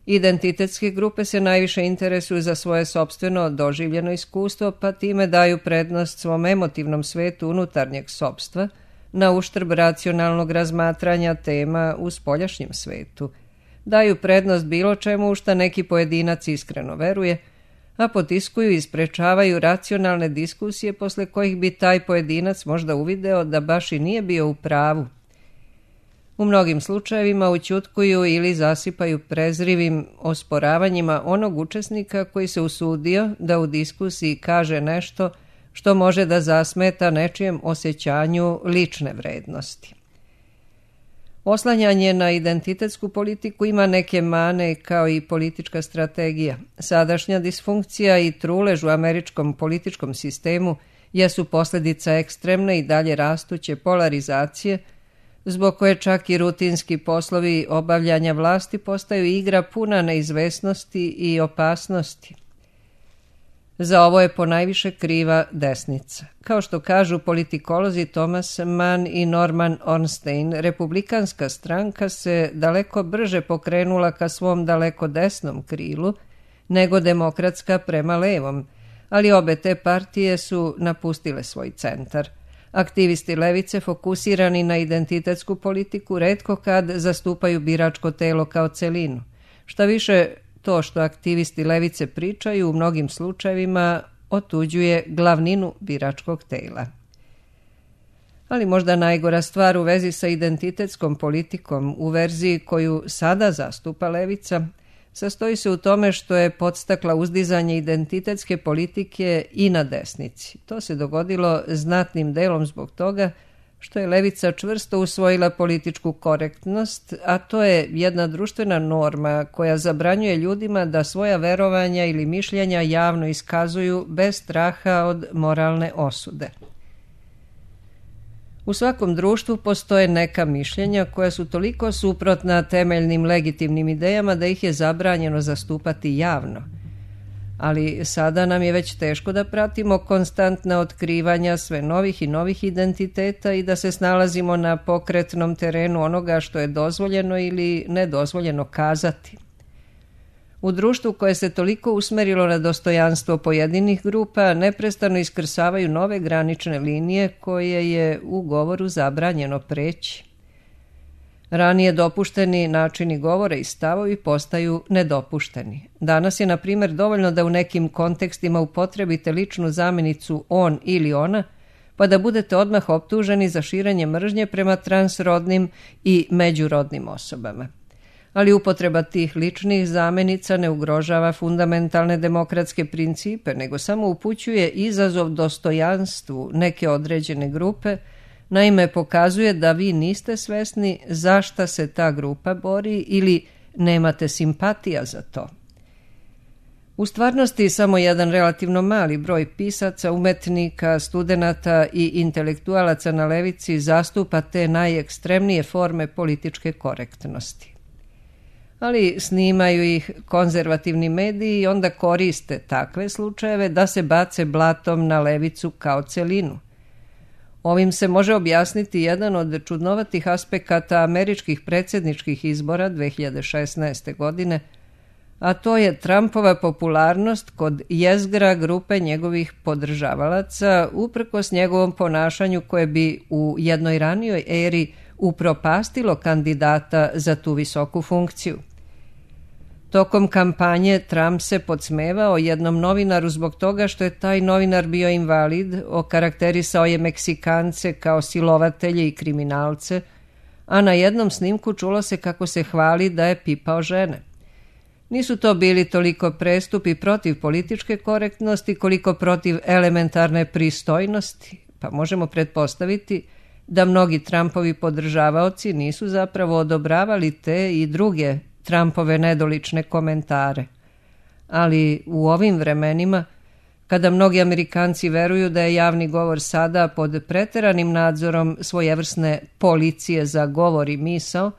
Identitetske grupe se najviše interesuju za svoje sopstveno doživljeno iskustvo, pa time daju prednost svom emotivnom svetu unutarnjeg sopstva, na uštrb racionalnog razmatranja tema u spoljašnjem svetu. Daju prednost bilo čemu u šta neki pojedinac iskreno veruje, a potiskuju i sprečavaju racionalne diskusije posle kojih bi taj pojedinac možda uvideo da baš i nije bio u pravu. U mnogim slučajevima ućutkuju ili zasipaju prezrivim osporavanjima onog učesnika koji se usudio da u diskusiji kaže nešto što može da zasmeta nečijem osjećanju lične vrednosti. Oslanjanje na identitetsku politiku ima neke mane kao i politička strategija. Sadašnja disfunkcija i trulež u američkom političkom sistemu jesu posljedica ekstremne i dalje rastuće polarizacije zbog koje čak i rutinski poslovi obavljanja vlasti postaju igra puna neizvesnosti i opasnosti. Za ovo je ponajviše kriva desnica. Kao što kažu politikolozi Thomas Mann i Norman Ornstein, republikanska stranka se daleko brže pokrenula ka svom daleko desnom krilu nego demokratska prema levom, ali obe te partije su napustile svoj centar. Aktivisti levice fokusirani na identitetsku politiku retko kad zastupaju biračko telo kao celinu. Šta više, to što aktivisti levice pričaju u mnogim slučajevima otuđuje glavninu biračkog tela. Ali možda najgora stvar u vezi sa identitetskom politikom u verziji koju sada zastupa levica sastoji se u tome što je podstakla uzdizanje identitetske politike i na desnici. To se dogodilo znatnim delom zbog toga što je levica čvrsto usvojila političku korektnost, a to je jedna društvena norma koja zabranjuje ljudima da svoja verovanja ili mišljenja javno iskazuju bez straha od moralne osude. U svakom društvu postoje neka mišljenja koja su toliko suprotna temeljnim legitimnim idejama da ih je zabranjeno zastupati javno. Ali sada nam je već teško da pratimo konstantna otkrivanja sve novih i novih identiteta i da se snalazimo na pokretnom terenu onoga što je dozvoljeno ili nedozvoljeno kazati. U društvu koje se toliko usmerilo na dostojanstvo pojedinih grupa neprestano iskrsavaju nove granične linije koje je u govoru zabranjeno preći. Ranije dopušteni načini govora i stavovi postaju nedopušteni. Danas je, na primjer, dovoljno da u nekim kontekstima upotrebite ličnu zamenicu on ili ona, pa da budete odmah optuženi za širenje mržnje prema transrodnim i međurodnim osobama. Ali upotreba tih ličnih zamenica ne ugrožava fundamentalne demokratske principe, nego samo upućuje izazov dostojanstvu neke određene grupe. Naime, pokazuje da vi niste svesni zašta se ta grupa bori ili nemate simpatija za to. U stvarnosti samo jedan relativno mali broj pisaca, umetnika, studenata i intelektualaca na levici zastupa te najekstremnije forme političke korektnosti. Ali snimaju ih konzervativni mediji i onda koriste takve slučajeve da se bace blatom na levicu kao celinu. Ovim se može objasniti jedan od čudnovatih aspekata američkih predsjedničkih izbora 2016. godine, a to je Trumpova popularnost kod jezgra grupe njegovih podržavalaca uprkos njegovom ponašanju koje bi u jednoj ranijoj eri upropastilo kandidata za tu visoku funkciju. Tokom kampanje Trump se podsmevao jednom novinaru zbog toga što je taj novinar bio invalid, okarakterisao je Meksikance kao silovatelje i kriminalce, a na jednom snimku čulo se kako se hvali da je pipao žene. Nisu to bili toliko prestupi protiv političke korektnosti koliko protiv elementarne pristojnosti, pa možemo pretpostaviti da mnogi Trumpovi podržavaoci nisu zapravo odobravali te i druge Trumpove nedolične komentare. Ali u ovim vremenima, kada mnogi Amerikanci veruju da je javni govor sada pod preteranim nadzorom svojevrsne policije za govor i misao,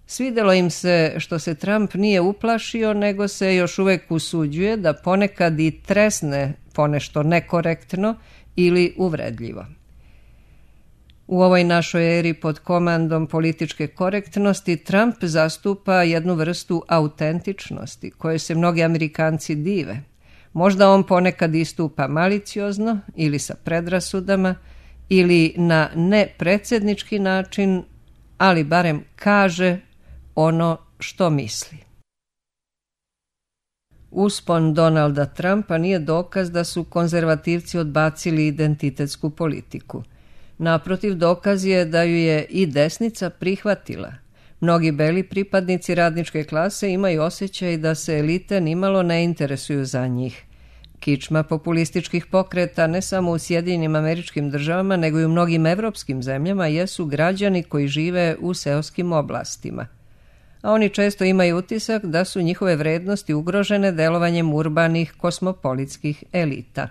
svidelo im se što se Trump nije uplašio, nego se još uvek usuđuje da ponekad i tresne ponešto nekorektno ili uvredljivo. U ovoj našoj eri pod komandom političke korektnosti Trump zastupa jednu vrstu autentičnosti koje se mnogi Amerikanci dive. Možda on ponekad istupa maliciozno ili sa predrasudama ili na nepredsjednički način, ali barem kaže ono što misli. Uspon Donalda Trumpa nije dokaz da su konzervativci odbacili identitetsku politiku. Naprotiv, dokaz je da ju je i desnica prihvatila. Mnogi beli pripadnici radničke klase imaju osjećaj da se elite nimalo ne interesuju za njih. Kičma populističkih pokreta ne samo u Sjedinjenim Američkim Državama, nego i u mnogim evropskim zemljama jesu građani koji žive u seoskim oblastima. A oni često imaju utisak da su njihove vrednosti ugrožene delovanjem urbanih kosmopolitskih elita.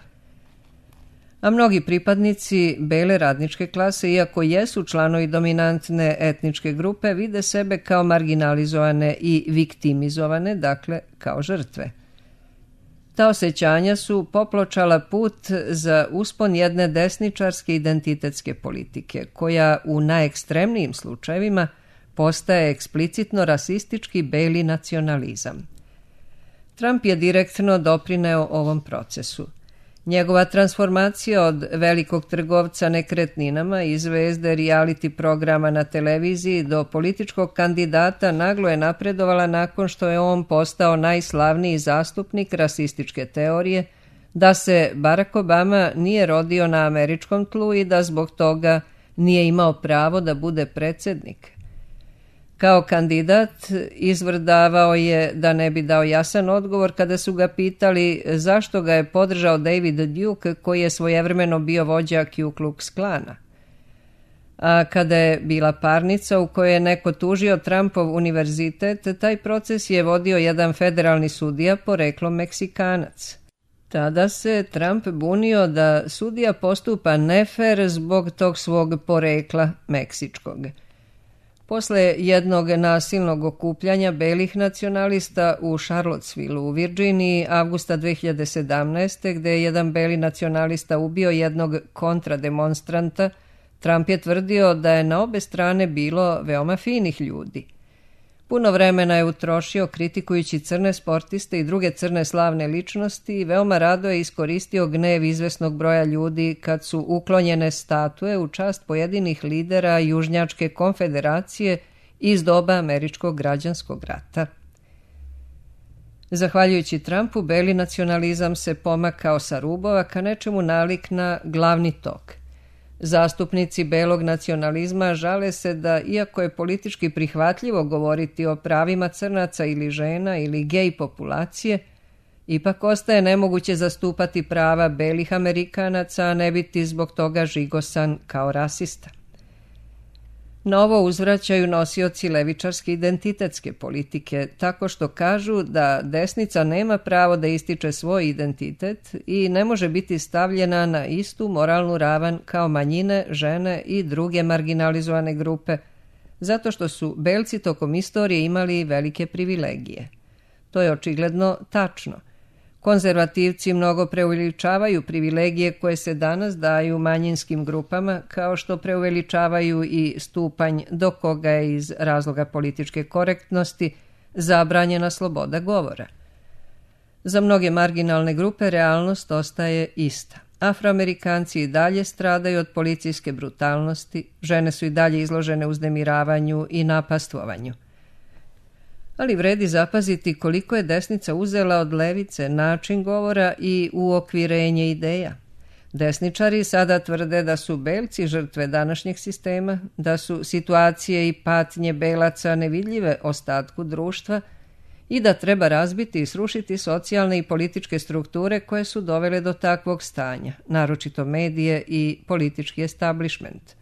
A mnogi pripadnici bele radničke klase, iako jesu članovi dominantne etničke grupe, vide sebe kao marginalizovane i viktimizovane, dakle kao žrtve. Ta osjećanja su popločala put za uspon jedne desničarske identitetske politike, koja u najekstremnijim slučajevima postaje eksplicitno rasistički beli nacionalizam. Trump je direktno doprineo ovom procesu. Njegova transformacija od velikog trgovca nekretninama i zvezde reality programa na televiziji do političkog kandidata naglo je napredovala nakon što je on postao najslavniji zastupnik rasističke teorije, da se Barack Obama nije rodio na američkom tlu i da zbog toga nije imao pravo da bude predsjednik. Kao kandidat izvrdavao je da ne bi dao jasan odgovor kada su ga pitali zašto ga je podržao David Duke, koji je svojevremeno bio vođa Ku Klux Klana. A kada je bila parnica u kojoj je neko tužio Trumpov univerzitet, taj proces je vodio jedan federalni sudija poreklom Meksikanac. Tada se Trump bunio da sudija postupa nefer zbog tog svog porekla meksičkog. Posle jednog nasilnog okupljanja belih nacionalista u Charlottesville u Virginiji avgusta 2017. gde je jedan beli nacionalista ubio jednog kontrademonstranta, Trump je tvrdio da je na obe strane bilo veoma finih ljudi. Puno vremena je utrošio kritikujući crne sportiste i druge crne slavne ličnosti i veoma rado je iskoristio gnev izvesnog broja ljudi kad su uklonjene statue u čast pojedinih lidera Južnjačke konfederacije iz doba američkog građanskog rata. Zahvaljujući Trumpu, beli nacionalizam se pomakao sa rubova ka nečemu nalik na glavni tok. Zastupnici belog nacionalizma žale se da, iako je politički prihvatljivo govoriti o pravima crnaca ili žena ili gej populacije, ipak ostaje nemoguće zastupati prava belih Amerikanaca, a ne biti zbog toga žigosan kao rasista. Na ovo uzvraćaju nosioci levičarske identitetske politike, tako što kažu da desnica nema pravo da ističe svoj identitet i ne može biti stavljena na istu moralnu ravan kao manjine, žene i druge marginalizovane grupe, zato što su belci tokom istorije imali velike privilegije. To je očigledno tačno. Konzervativci mnogo preuveličavaju privilegije koje se danas daju manjinskim grupama, kao što preuveličavaju i stupanj do koga je iz razloga političke korektnosti zabranjena sloboda govora. Za mnoge marginalne grupe realnost ostaje ista. Afroamerikanci i dalje stradaju od policijske brutalnosti, žene su i dalje izložene uznemiravanju i napastvovanju. Ali vredi zapaziti koliko je desnica uzela od levice način govora i uokvirenje ideja. Desničari sada tvrde da su belci žrtve današnjeg sistema, da su situacije i patnje belaca nevidljive ostatku društva i da treba razbiti i srušiti socijalne i političke strukture koje su dovele do takvog stanja, naročito medije i politički establishment.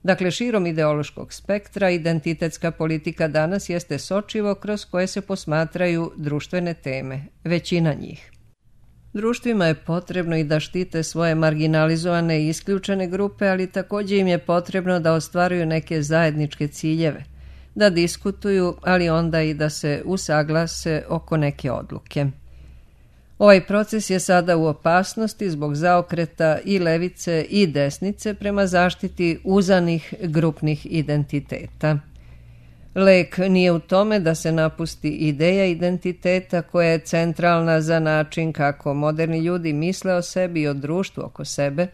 Dakle, širom ideološkog spektra, identitetska politika danas jeste sočivo kroz koje se posmatraju društvene teme, većina njih. Društvima je potrebno i da štite svoje marginalizovane i isključene grupe, ali također im je potrebno da ostvaruju neke zajedničke ciljeve, da diskutuju, ali onda i da se usaglase oko neke odluke. Ovaj proces je sada u opasnosti zbog zaokreta i levice i desnice prema zaštiti uzanih grupnih identiteta. Lek nije u tome da se napusti ideja identiteta koja je centralna za način kako moderni ljudi misle o sebi i o društvu oko sebe,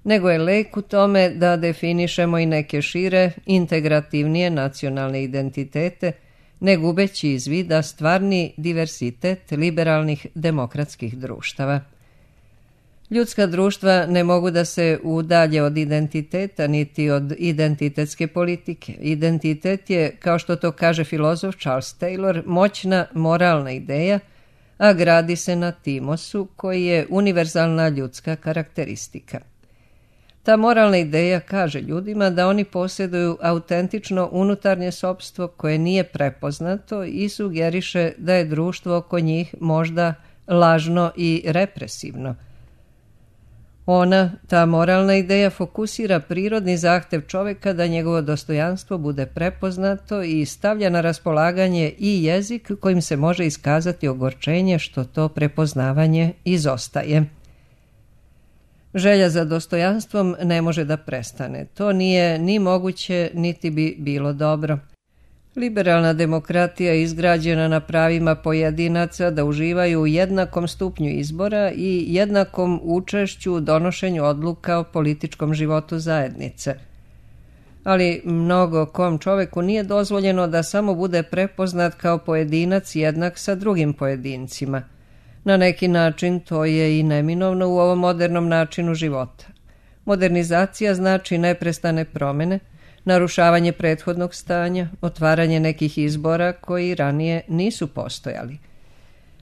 nego je lek u tome da definišemo i neke šire, integrativnije nacionalne identitete, ne gubeći iz vida stvarni diversitet liberalnih demokratskih društava. Ljudska društva ne mogu da se udalje od identiteta niti od identitetske politike. Identitet je, kao što to kaže filozof Charles Taylor, moćna moralna ideja, a gradi se na timosu koji je univerzalna ljudska karakteristika. Ta moralna ideja kaže ljudima da oni posjeduju autentično unutarnje sopstvo koje nije prepoznato i sugeriše da je društvo oko njih možda lažno i represivno. Ta moralna ideja, fokusira prirodni zahtev čoveka da njegovo dostojanstvo bude prepoznato i stavlja na raspolaganje i jezik kojim se može iskazati ogorčenje što to prepoznavanje izostaje. Želja za dostojanstvom ne može da prestane. To nije ni moguće, niti bi bilo dobro. Liberalna demokratija je izgrađena na pravima pojedinaca da uživaju u jednakom stupnju izbora i jednakom učešću u donošenju odluka o političkom životu zajednice. Ali mnogo kom čoveku nije dozvoljeno da samo bude prepoznat kao pojedinac jednak sa drugim pojedincima. Na neki način to je i neminovno u ovom modernom načinu života. Modernizacija znači neprestane promene, narušavanje prethodnog stanja, otvaranje nekih izbora koji ranije nisu postojali.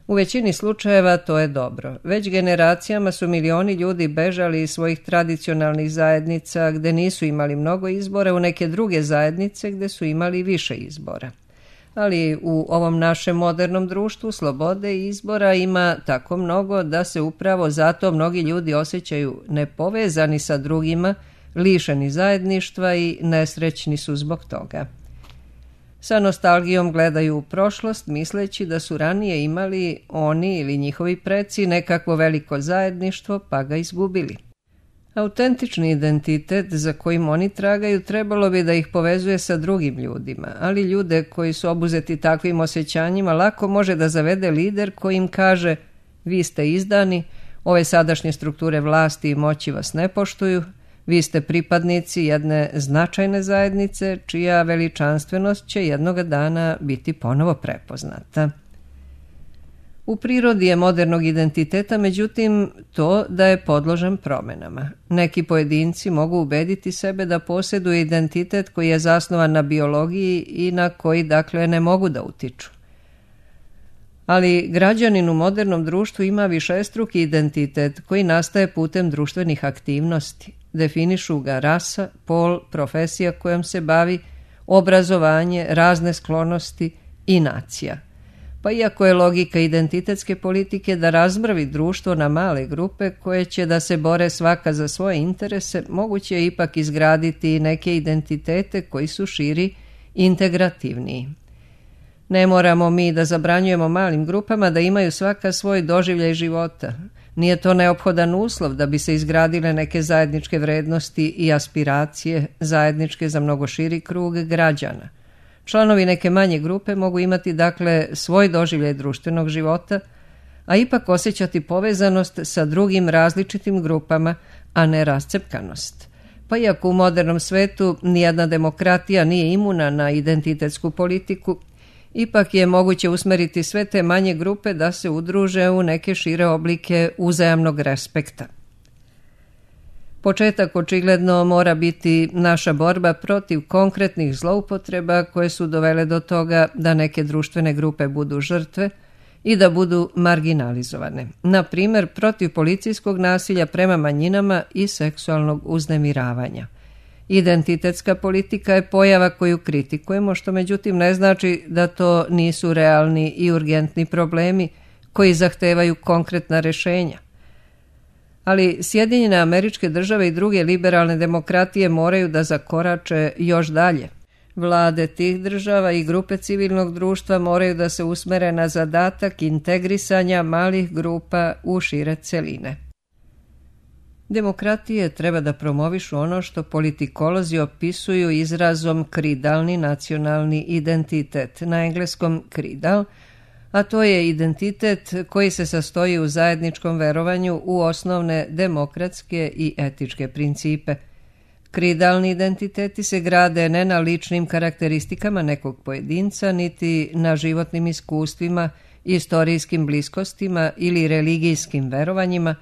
U većini slučajeva to je dobro. Već generacijama su milioni ljudi bežali iz svojih tradicionalnih zajednica gde nisu imali mnogo izbora u neke druge zajednice gde su imali više izbora. Ali u ovom našem modernom društvu slobode i izbora ima tako mnogo da se upravo zato mnogi ljudi osjećaju nepovezani sa drugima, lišeni zajedništva i nesrećni su zbog toga. Sa nostalgijom gledaju u prošlost, misleći da su ranije imali oni ili njihovi preci nekakvo veliko zajedništvo pa ga izgubili. Autentični identitet za kojim oni tragaju trebalo bi da ih povezuje sa drugim ljudima, ali ljude koji su obuzeti takvim osjećanjima lako može da zavede lider koji im kaže: vi ste izdani, ove sadašnje strukture vlasti i moći vas ne poštuju, vi ste pripadnici jedne značajne zajednice čija veličanstvenost će jednoga dana biti ponovo prepoznata. U prirodi je modernog identiteta, međutim, to da je podložan promenama. Neki pojedinci mogu ubediti sebe da posjeduju identitet koji je zasnovan na biologiji i na koji, dakle, ne mogu da utiču. Ali građanin u modernom društvu ima višestruki identitet koji nastaje putem društvenih aktivnosti. Definišu ga rasa, pol, profesija kojom se bavi, obrazovanje, razne sklonosti i nacija. Pa iako je logika identitetske politike da razmrvi društvo na male grupe koje će da se bore svaka za svoje interese, moguće je ipak izgraditi neke identitete koji su širi i integrativniji. Ne moramo mi da zabranjujemo malim grupama da imaju svaka svoj doživljaj života. Nije to neophodan uslov da bi se izgradile neke zajedničke vrednosti i aspiracije, zajedničke za mnogo širi krug građana. Članovi neke manje grupe mogu imati, dakle, svoj doživljaj društvenog života, a ipak osjećati povezanost sa drugim različitim grupama, a ne rascepkanost. Pa iako u modernom svetu nijedna demokratija nije imuna na identitetsku politiku, ipak je moguće usmeriti sve te manje grupe da se udruže u neke šire oblike uzajamnog respekta. Početak očigledno mora biti naša borba protiv konkretnih zloupotreba koje su dovele do toga da neke društvene grupe budu žrtve i da budu marginalizovane. Na primjer, protiv policijskog nasilja prema manjinama i seksualnog uznemiravanja. Identitetska politika je pojava koju kritikujemo, što međutim ne znači da to nisu realni i urgentni problemi koji zahtevaju konkretna rješenja. Ali Sjedinjene Američke Države i druge liberalne demokratije moraju da zakorače još dalje. Vlade tih država i grupe civilnog društva moraju da se usmere na zadatak integrisanja malih grupa u šire celine. Demokratije treba da promovišu ono što politikolozi opisuju izrazom kridalni nacionalni identitet, na engleskom kridal, a to je identitet koji se sastoji u zajedničkom verovanju u osnovne demokratske i etičke principe. Kridalni identiteti se grade ne na ličnim karakteristikama nekog pojedinca, niti na životnim iskustvima, istorijskim bliskostima ili religijskim verovanjima,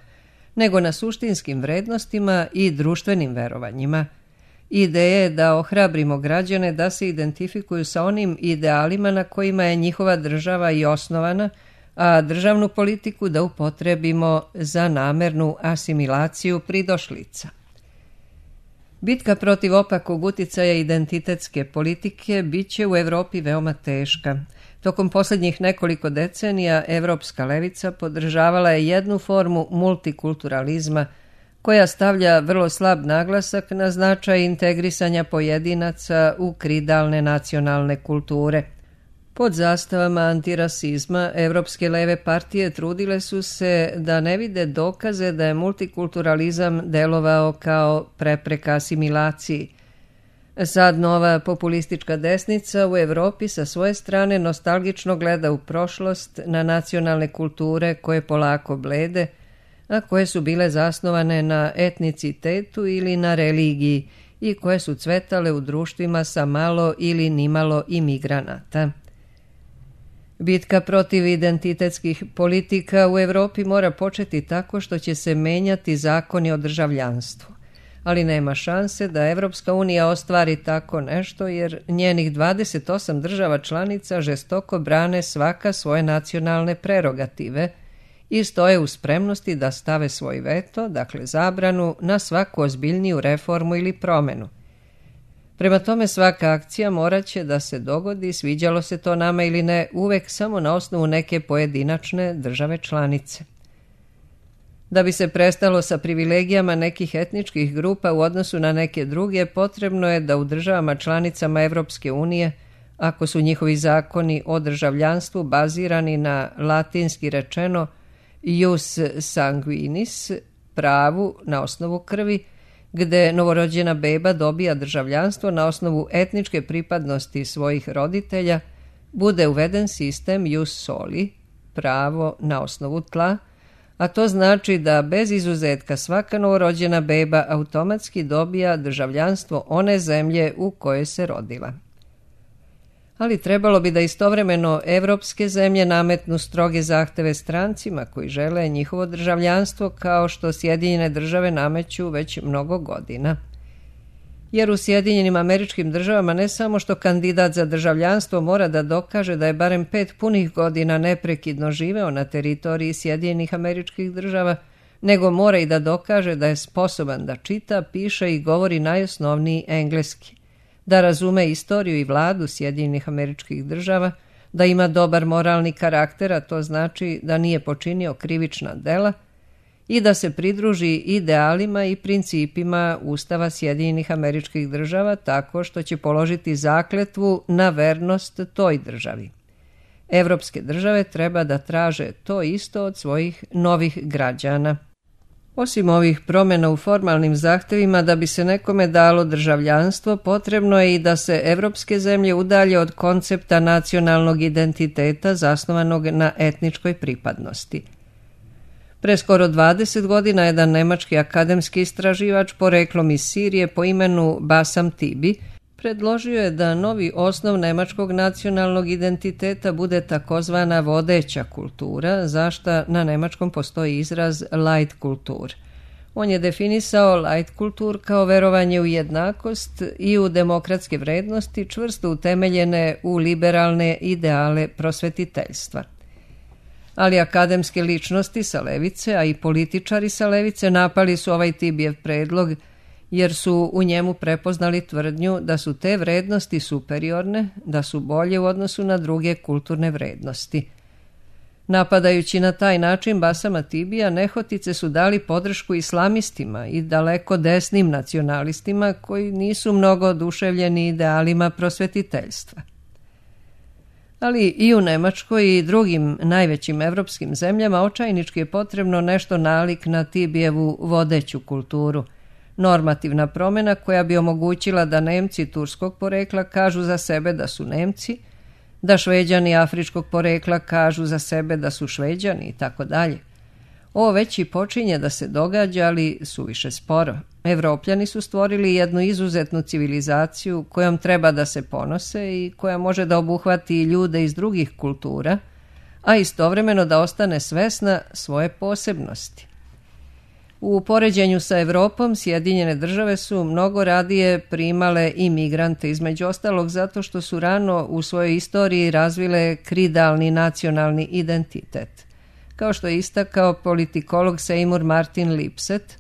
nego na suštinskim vrednostima i društvenim verovanjima. Ideja je da ohrabrimo građane da se identifikuju sa onim idealima na kojima je njihova država i osnovana, a državnu politiku da upotrebimo za namernu asimilaciju pridošlica. Bitka protiv opakog uticaja identitetske politike bit će u Evropi veoma teška. Tokom posljednjih nekoliko decenija evropska levica podržavala je jednu formu multikulturalizma koja stavlja vrlo slab naglasak na značaj integrisanja pojedinaca u kridalne nacionalne kulture. Pod zastavama antirasizma evropske leve partije trudile su se da ne vide dokaze da je multikulturalizam delovao kao prepreka asimilaciji. Sad nova populistička desnica u Evropi sa svoje strane nostalgično gleda u prošlost na nacionalne kulture koje polako blede, a koje su bile zasnovane na etnicitetu ili na religiji i koje su cvetale u društvima sa malo ili nimalo imigranata. Bitka protiv identitetskih politika u Evropi mora početi tako što će se menjati zakoni o državljanstvu, ali nema šanse da Evropska unija ostvari tako nešto jer njenih 28 država članica žestoko brane svaka svoje nacionalne prerogative i stoje u spremnosti da stave svoj veto, dakle zabranu, na svaku ozbiljniju reformu ili promenu. Prema tome svaka akcija morat će da se dogodi, sviđalo se to nama ili ne, uvek samo na osnovu neke pojedinačne države članice. Da bi se prestalo sa privilegijama nekih etničkih grupa u odnosu na neke druge, potrebno je da u državama članicama Evropske unije, ako su njihovi zakoni o državljanstvu bazirani na latinski rečeno ius sanguinis, pravu na osnovu krvi, gde novorođena beba dobija državljanstvo na osnovu etničke pripadnosti svojih roditelja, bude uveden sistem ius soli, pravo na osnovu tla, a to znači da bez izuzetka svaka novorođena beba automatski dobija državljanstvo one zemlje u kojoj se rodila. Ali trebalo bi da istovremeno evropske zemlje nametnu stroge zahteve strancima koji žele njihovo državljanstvo kao što Sjedinjene države nameću već mnogo godina. Jer u Sjedinjenim Američkim Državama ne samo što kandidat za državljanstvo mora da dokaže da je barem 5 punih godina neprekidno živeo na teritoriji Sjedinjenih Američkih Država, nego mora i da dokaže da je sposoban da čita, piše i govori najosnovniji engleski, da razume istoriju i vladu Sjedinjenih Američkih Država, da ima dobar moralni karakter, a to znači da nije počinio krivična dela, i da se pridruži idealima i principima Ustava Sjedinjenih Američkih Država tako što će položiti zakletvu na vernost toj državi. Evropske države treba da traže to isto od svojih novih građana. Osim ovih promjena u formalnim zahtevima da bi se nekome dalo državljanstvo, potrebno je i da se evropske zemlje udalje od koncepta nacionalnog identiteta zasnovanog na etničkoj pripadnosti. Pre skoro 20 godina jedan nemački akademski istraživač poreklom iz Sirije po imenu Bassam Tibi predložio je da novi osnov nemačkog nacionalnog identiteta bude takozvana vodeća kultura, za šta na nemačkom postoji izraz Leitkultur. On je definisao Leitkultur kao verovanje u jednakost i u demokratske vrednosti čvrsto utemeljene u liberalne ideale prosvetiteljstva. Ali akademske ličnosti sa levice, a i političari sa levice napali su ovaj Tibijev predlog jer su u njemu prepoznali tvrdnju da su te vrednosti superiorne, da su bolje u odnosu na druge kulturne vrednosti. Napadajući na taj način Basama Tibija, nehotice su dali podršku islamistima i daleko desnim nacionalistima koji nisu mnogo oduševljeni idealima prosvetiteljstva. Ali i u Nemačkoj i drugim najvećim evropskim zemljama očajnički je potrebno nešto nalik na Tibijevu vodeću kulturu, normativna promjena koja bi omogućila da Nemci turskog porekla kažu za sebe da su Nemci, da Šveđani afričkog porekla kažu za sebe da su Šveđani i tako dalje. Ovo već i počinje da se događa, ali suviše sporo. Evropljani su stvorili jednu izuzetnu civilizaciju kojom treba da se ponose i koja može da obuhvati ljude iz drugih kultura, a istovremeno da ostane svesna svoje posebnosti. U poređenju sa Evropom, Sjedinjene države su mnogo radije primale imigrante, između ostalog zato što su rano u svojoj istoriji razvile kridalni nacionalni identitet. Kao što je istakao politikolog Seymour Martin Lipset,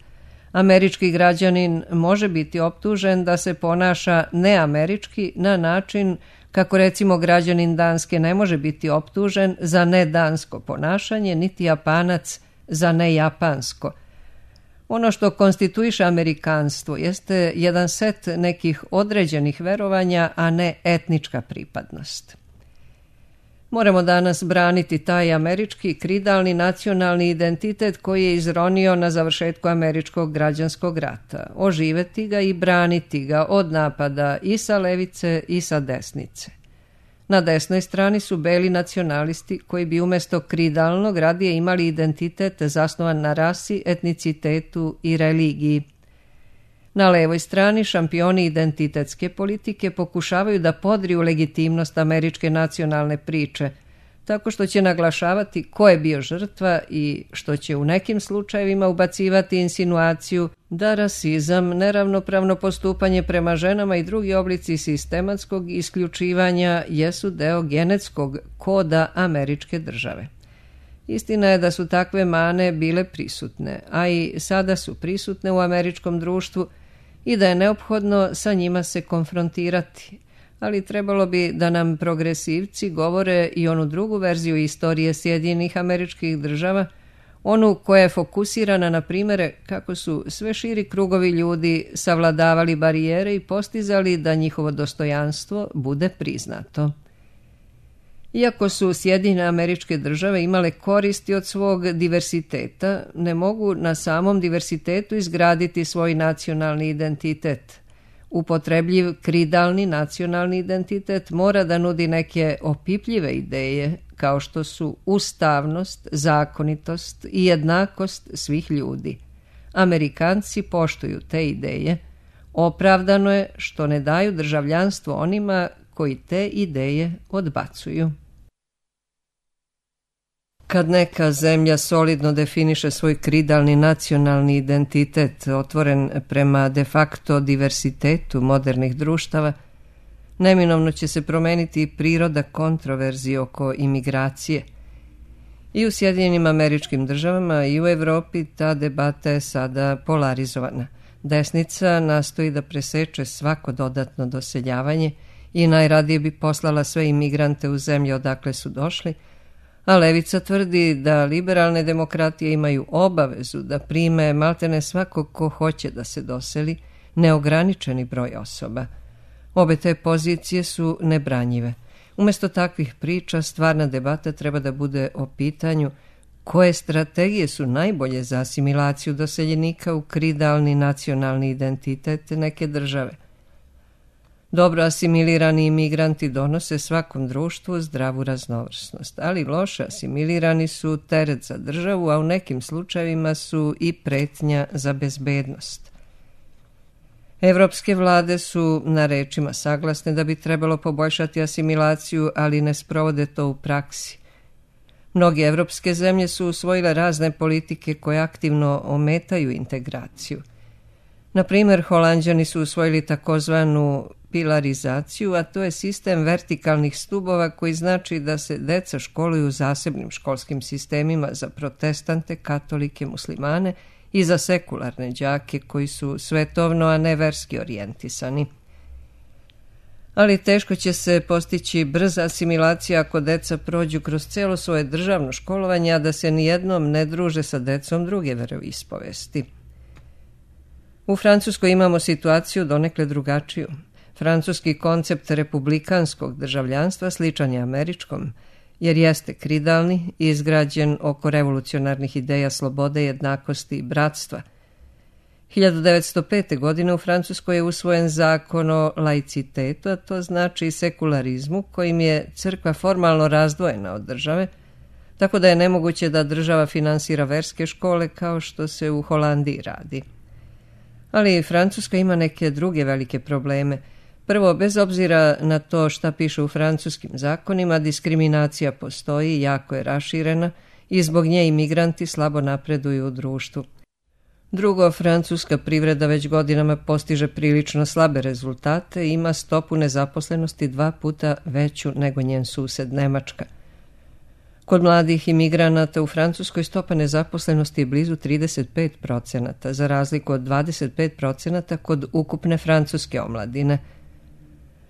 američki građanin može biti optužen da se ponaša neamerički na način kako recimo građanin Danske ne može biti optužen za nedansko ponašanje, niti Japanac za nejapansko. Ono što konstituiše amerikanstvo jeste jedan set nekih određenih verovanja, a ne etnička pripadnost. Moramo danas braniti taj američki kridalni nacionalni identitet koji je izronio na završetku američkog građanskog rata, oživeti ga i braniti ga od napada i sa levice i sa desnice. Na desnoj strani su beli nacionalisti koji bi umjesto kridalnog radije imali identitet zasnovan na rasi, etnicitetu i religiji. Na levoj strani šampioni identitetske politike pokušavaju da podriju legitimnost američke nacionalne priče, tako što će naglašavati ko je bio žrtva i što će u nekim slučajevima ubacivati insinuaciju da rasizam, neravnopravno postupanje prema ženama i drugi oblici sistematskog isključivanja jesu deo genetskog koda američke države. Istina je da su takve mane bile prisutne, a i sada su prisutne u američkom društvu i da je neophodno sa njima se konfrontirati. Ali trebalo bi da nam progresivci govore i onu drugu verziju istorije Sjedinjenih Američkih Država, onu koja je fokusirana na primjere kako su sve širi krugovi ljudi savladavali barijere i postizali da njihovo dostojanstvo bude priznato. Iako su Sjedinjene Američke Države imale koristi od svog diversiteta, ne mogu na samom diversitetu izgraditi svoj nacionalni identitet. Upotrebljiv kridalni nacionalni identitet mora da nudi neke opipljive ideje, kao što su ustavnost, zakonitost i jednakost svih ljudi. Amerikanci poštuju te ideje. Opravdano je što ne daju državljanstvo onima koji te ideje odbacuju. Kad neka zemlja solidno definiše svoj kridalni nacionalni identitet, otvoren prema de facto diversitetu modernih društava, neminovno će se promeniti i priroda kontroverzi oko imigracije. I u Sjedinjenim Američkim Državama i u Evropi ta debata je sada polarizovana. Desnica nastoji da preseče svako dodatno doseljavanje i najradije bi poslala sve imigrante u zemlje odakle su došli, a levica tvrdi da liberalne demokratije imaju obavezu da prime maltene svakog ko hoće da se doseli, neograničeni broj osoba. Obe te pozicije su nebranjive. Umjesto takvih priča, stvarna debata treba da bude o pitanju koje strategije su najbolje za asimilaciju doseljenika u kridalni nacionalni identitet neke države. Dobro asimilirani imigranti donose svakom društvu zdravu raznovrsnost, ali loše asimilirani su teret za državu, a u nekim slučajevima su i pretnja za bezbednost. Evropske vlade su na rečima saglasne da bi trebalo poboljšati asimilaciju, ali ne sprovode to u praksi. Mnoge evropske zemlje su usvojile razne politike koje aktivno ometaju integraciju. Na primjer, Holanđani su usvojili takozvanu pilarizaciju, a to je sistem vertikalnih stubova koji znači da se deca školuju u zasebnim školskim sistemima za protestante, katolike, muslimane i za sekularne đake koji su svetovno, a ne verski orijentisani. Ali teško će se postići brza asimilacija ako deca prođu kroz cijelo svoje državno školovanje, a da se nijednom ne druže sa decom druge veroispovesti. U Francuskoj imamo situaciju donekle drugačiju. Francuski koncept republikanskog državljanstva sličan je američkom, jer jeste kridalni i izgrađen oko revolucionarnih ideja slobode, jednakosti i bratstva. 1905. godine u Francuskoj je usvojen zakon o laicitetu, a to znači sekularizmu, kojim je crkva formalno razdvojena od države, tako da je nemoguće da država finansira verske škole kao što se u Holandiji radi. Ali Francuska ima neke druge velike probleme. Prvo, bez obzira na to šta piše u francuskim zakonima, diskriminacija postoji, jako je raširena i zbog nje imigranti slabo napreduju u društvu. Drugo, francuska privreda već godinama postiže prilično slabe rezultate i ima stopu nezaposlenosti 2 puta veću nego njen sused Nemačka. Kod mladih imigranata u Francuskoj stopa nezaposlenosti je blizu 35%, za razliku od 25% kod ukupne francuske omladine.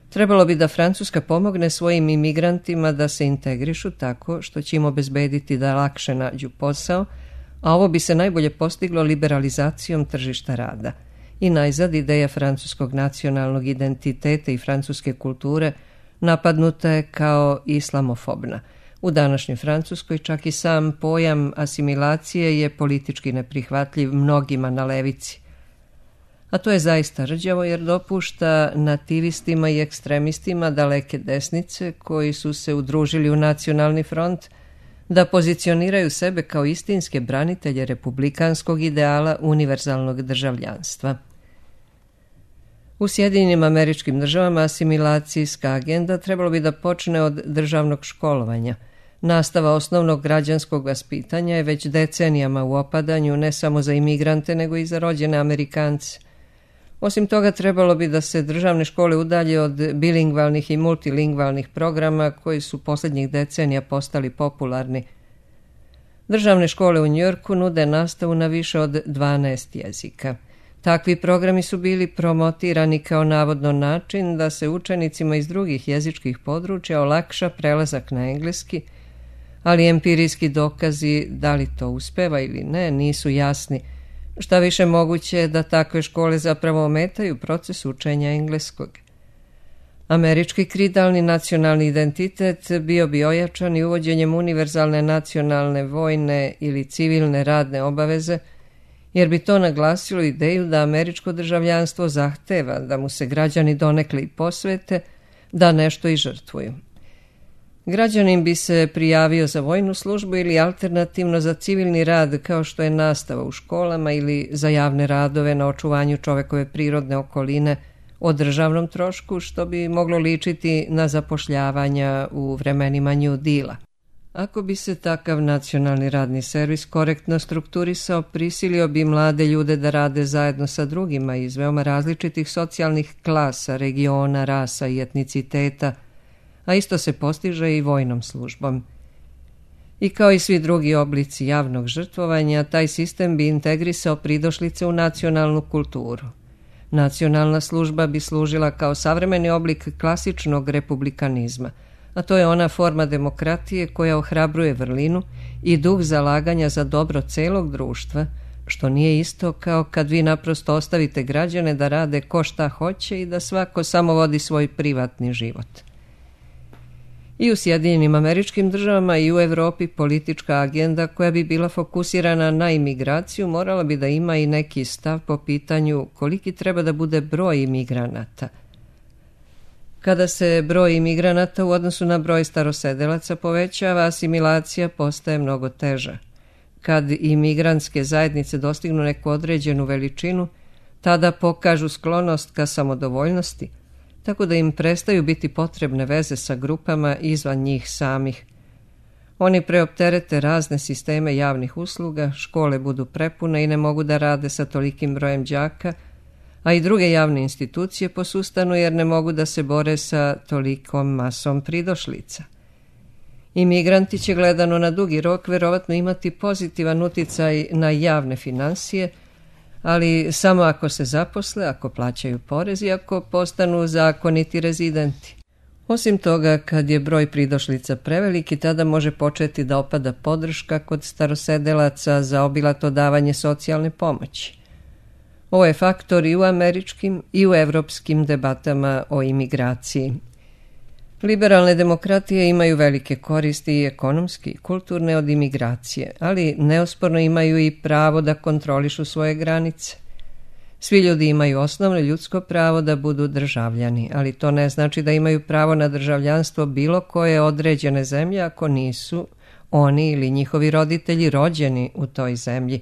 Trebalo bi da Francuska pomogne svojim imigrantima da se integrišu tako što će im obezbediti da lakše nađu posao, a ovo bi se najbolje postiglo liberalizacijom tržišta rada. I najzad ideja francuskog nacionalnog identiteta i francuske kulture napadnuta je kao islamofobna. U današnjoj Francuskoj čak i sam pojam asimilacije je politički neprihvatljiv mnogima na levici. A to je zaista rđavo jer dopušta nativistima i ekstremistima daleke desnice koji su se udružili u nacionalni front da pozicioniraju sebe kao istinske branitelje republikanskog ideala univerzalnog državljanstva. U Sjedinjenim Američkim Državama asimilacijska agenda trebalo bi da počne od državnog školovanja. Nastava osnovnog građanskog vaspitanja je već decenijama u opadanju ne samo za imigrante nego i za rođene Amerikance. Osim toga trebalo bi da se državne škole udalje od bilingvalnih i multilingvalnih programa koji su posljednjih decenija postali popularni. Državne škole u Njujorku nude nastavu na više od 12 jezika. Takvi programi su bili promotirani kao navodno način da se učenicima iz drugih jezičkih područja olakša prelazak na engleski, ali empirijski dokazi da li to uspeva ili ne nisu jasni. Šta više moguće je da takve škole zapravo ometaju proces učenja engleskog. Američki kridalni nacionalni identitet bio bi ojačan i uvođenjem univerzalne nacionalne vojne ili civilne radne obaveze, jer bi to naglasilo ideju da američko državljanstvo zahteva da mu se građani donekle i posvete, da nešto i žrtvuju. Građanin bi se prijavio za vojnu službu ili alternativno za civilni rad kao što je nastava u školama ili za javne radove na očuvanju čovekove prirodne okoline o državnom trošku, što bi moglo ličiti na zapošljavanja u vremenima New Deala. Ako bi se takav nacionalni radni servis korektno strukturisao, prisilio bi mlade ljude da rade zajedno sa drugima iz veoma različitih socijalnih klasa, regiona, rasa i etniciteta, a isto se postiže i vojnom službom. I kao i svi drugi oblici javnog žrtvovanja, taj sistem bi integrisao pridošlice u nacionalnu kulturu. Nacionalna služba bi služila kao savremeni oblik klasičnog republikanizma, a to je ona forma demokratije koja ohrabruje vrlinu i duh zalaganja za dobro celog društva, što nije isto kao kad vi naprosto ostavite građane da rade ko šta hoće i da svako samo vodi svoj privatni život. I u Sjedinjenim Američkim Državama i u Evropi politička agenda koja bi bila fokusirana na imigraciju morala bi da ima i neki stav po pitanju koliki treba da bude broj imigranata. Kada se broj imigranata u odnosu na broj starosedelaca povećava, asimilacija postaje mnogo teža. Kad imigrantske zajednice dostignu neku određenu veličinu, tada pokažu sklonost ka samodovoljnosti, tako da im prestaju biti potrebne veze sa grupama izvan njih samih. Oni preopterete razne sisteme javnih usluga, škole budu prepune i ne mogu da rade sa tolikim brojem đaka, a i druge javne institucije posustanu jer ne mogu da se bore sa tolikom masom pridošlica. Imigranti će gledano na dugi rok verovatno imati pozitivan uticaj na javne finansije, ali samo ako se zaposle, ako plaćaju porez i ako postanu zakoniti rezidenti. Osim toga, kad je broj pridošlica preveliki, tada može početi da opada podrška kod starosedelaca za obilato davanje socijalne pomoći. Ovo je faktor i u američkim i u evropskim debatama o imigraciji. Liberalne demokratije imaju velike koristi i ekonomski i kulturne od imigracije, ali neosporno imaju i pravo da kontrolišu svoje granice. Svi ljudi imaju osnovno ljudsko pravo da budu državljani, ali to ne znači da imaju pravo na državljanstvo bilo koje određene zemlje ako nisu oni ili njihovi roditelji rođeni u toj zemlji.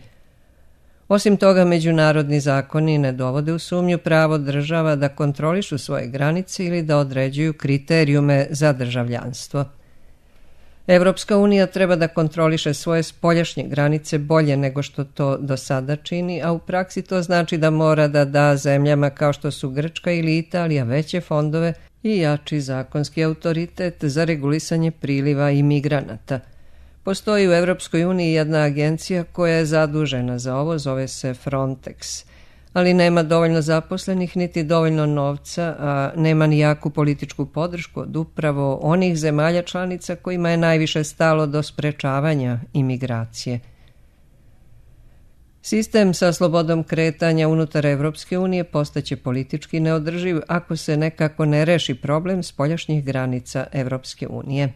Osim toga, međunarodni zakoni ne dovode u sumnju pravo država da kontrolišu svoje granice ili da određuju kriterijume za državljanstvo. Evropska unija treba da kontroliše svoje spoljašnje granice bolje nego što to do sada čini, a u praksi to znači da mora da da zemljama kao što su Grčka ili Italija veće fondove i jači zakonski autoritet za regulisanje priliva imigranata. Postoji u Evropskoj uniji jedna agencija koja je zadužena za ovo, zove se Frontex, ali nema dovoljno zaposlenih niti dovoljno novca, a nema ni jaku političku podršku od upravo onih zemalja članica kojima je najviše stalo do sprečavanja imigracije. Sistem sa slobodom kretanja unutar Evropske unije postaće politički neodrživ ako se nekako ne reši problem spoljašnjih granica Evropske unije.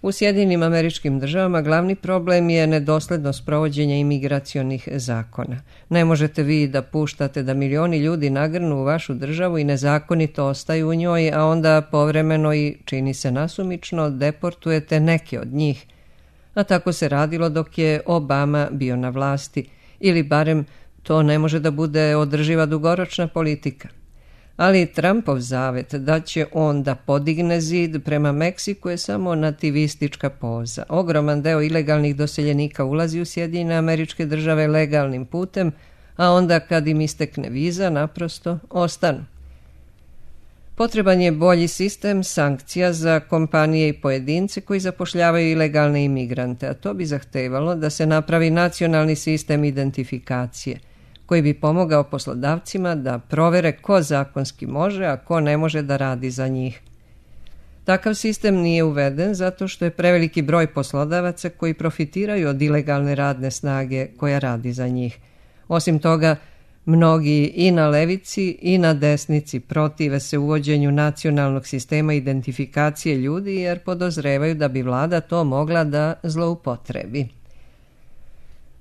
U Sjedinjenim Američkim Državama glavni problem je nedoslednost provođenja imigracionih zakona. Ne možete vi da puštate da milioni ljudi nagrnu u vašu državu i nezakonito ostaju u njoj, a onda povremeno i, čini se nasumično, deportujete neke od njih. A tako se radilo dok je Obama bio na vlasti, ili barem to ne može da bude održiva dugoročna politika. Ali Trumpov zavet da će on da podigne zid prema Meksiku je samo nativistička poza. Ogroman deo ilegalnih doseljenika ulazi u Sjedinjene Američke Države legalnim putem, a onda kad im istekne viza naprosto ostanu. Potreban je bolji sistem sankcija za kompanije i pojedince koji zapošljavaju ilegalne imigrante, a to bi zahtevalo da se napravi nacionalni sistem identifikacije, koji bi pomogao poslodavcima da provere ko zakonski može, a ko ne može da radi za njih. Takav sistem nije uveden zato što je preveliki broj poslodavaca koji profitiraju od ilegalne radne snage koja radi za njih. Osim toga, mnogi i na levici i na desnici protive se uvođenju nacionalnog sistema identifikacije ljudi jer podozrevaju da bi vlada to mogla da zloupotrebi.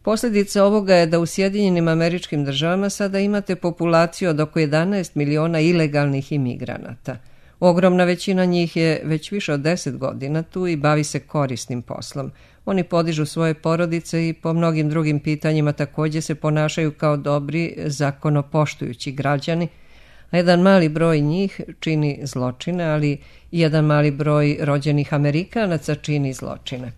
Posljedica ovoga je da u Sjedinjenim Američkim Državama sada imate populaciju od oko 11 miliona ilegalnih imigranata. Ogromna većina njih je već više od 10 godina tu i bavi se korisnim poslom. Oni podižu svoje porodice i po mnogim drugim pitanjima također se ponašaju kao dobri, zakonopoštujući građani, a jedan mali broj njih čini zločine, ali i jedan mali broj rođenih Amerikanaca čini zločine.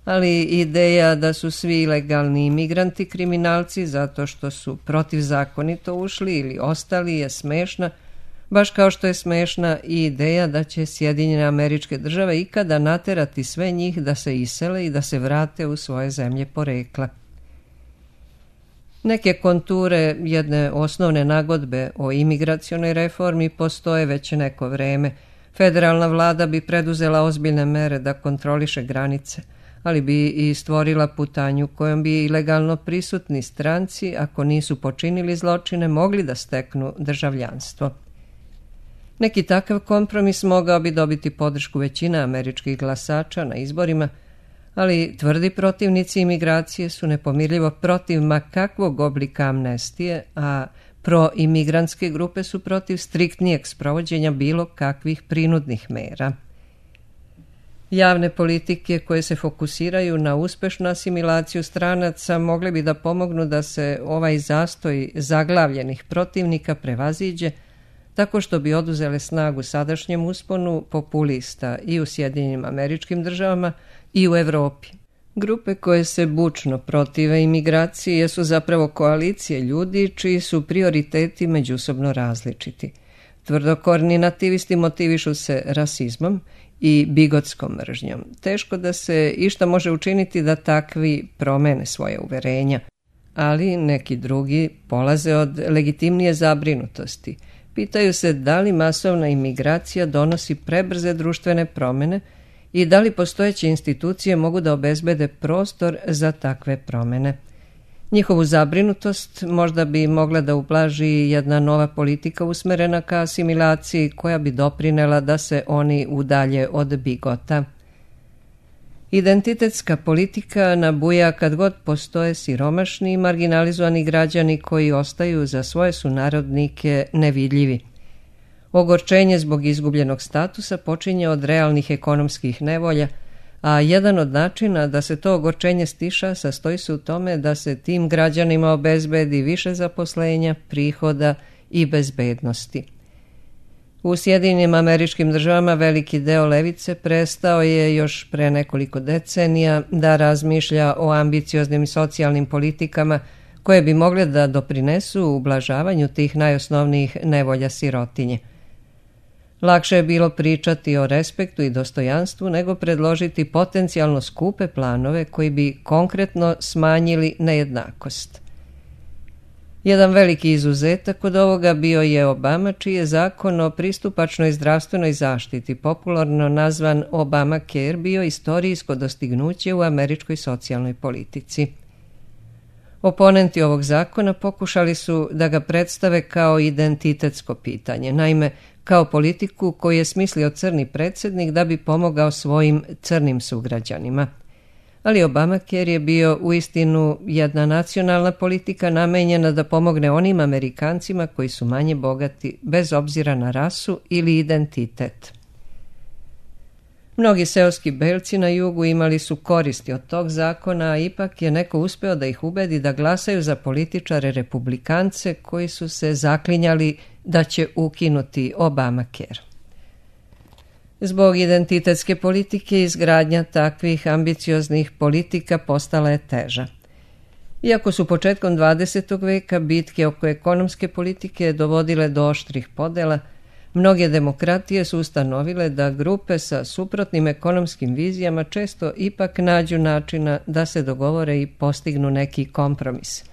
Ali ideja da su svi ilegalni imigranti kriminalci zato što su protivzakonito ušli ili ostali je smešna, baš kao što je smešna i ideja da će Sjedinjene Američke Države ikada naterati sve njih da se isele i da se vrate u svoje zemlje porekla. Neke konture jedne osnovne nagodbe o imigracionoj reformi postoje već neko vreme. Federalna vlada bi preduzela ozbiljne mere da kontroliše granice, ali bi i stvorila putanju kojom bi ilegalno prisutni stranci, ako nisu počinili zločine, mogli da steknu državljanstvo. Neki takav kompromis mogao bi dobiti podršku većine američkih glasača na izborima, ali tvrdi protivnici imigracije su nepomirljivo protiv ma kakvog oblika amnestije, a proimigrantske grupe su protiv striktnijeg sprovođenja bilo kakvih prinudnih mera. Javne politike koje se fokusiraju na uspešnu asimilaciju stranaca mogle bi da pomognu da se ovaj zastoj zaglavljenih protivnika prevaziđe tako što bi oduzele snagu sadašnjem usponu populista i u Sjedinjenim Američkim Državama i u Evropi. Grupe koje se bučno protive imigraciji su zapravo koalicije ljudi čiji su prioriteti međusobno različiti. Tvrdokorni nativisti motivišu se rasizmom i bigotskom mržnjom. Teško da se išta može učiniti da takvi promene svoje uverenja, ali neki drugi polaze od legitimnije zabrinutosti. Pitaju se da li masovna imigracija donosi prebrze društvene promene i da li postojeće institucije mogu da obezbede prostor za takve promene. Njihovu zabrinutost možda bi mogla da ublaži jedna nova politika usmerena ka asimilaciji koja bi doprinela da se oni udalje od bigota. Identitetska politika nabuja kad god postoje siromašni i marginalizovani građani koji ostaju za svoje sunarodnike nevidljivi. Ogorčenje zbog izgubljenog statusa počinje od realnih ekonomskih nevolja, a jedan od načina da se to ogorčenje stiša sastoji se u tome da se tim građanima obezbedi više zaposlenja, prihoda i bezbednosti. U Sjedinjenim Američkim Državama veliki deo levice prestao je još pre nekoliko decenija da razmišlja o ambicioznim socijalnim politikama koje bi mogle da doprinesu ublažavanju tih najosnovnijih nevolja sirotinje. Lakše je bilo pričati o respektu i dostojanstvu nego predložiti potencijalno skupe planove koji bi konkretno smanjili nejednakost. Jedan veliki izuzetak od ovoga bio je Obama, čiji je zakon o pristupačnoj zdravstvenoj zaštiti, popularno nazvan Obamacare, bio istorijsko dostignuće u američkoj socijalnoj politici. Oponenti ovog zakona pokušali su da ga predstave kao identitetsko pitanje, naime kao politiku koju je smislio crni predsjednik da bi pomogao svojim crnim sugrađanima. Ali Obamacare je bio uistinu jedna nacionalna politika namenjena da pomogne onim Amerikancima koji su manje bogati bez obzira na rasu ili identitet. Mnogi seoski belci na jugu imali su koristi od tog zakona, a ipak je neko uspeo da ih ubedi da glasaju za političare republikance koji su se zaklinjali da će ukinuti Obamacare. Zbog identitetske politike izgradnja takvih ambicioznih politika postala je teža. Iako su početkom 20. veka bitke oko ekonomske politike dovodile do oštrih podela, mnoge demokratije su ustanovile da grupe sa suprotnim ekonomskim vizijama često ipak nađu načina da se dogovore i postignu neki kompromis.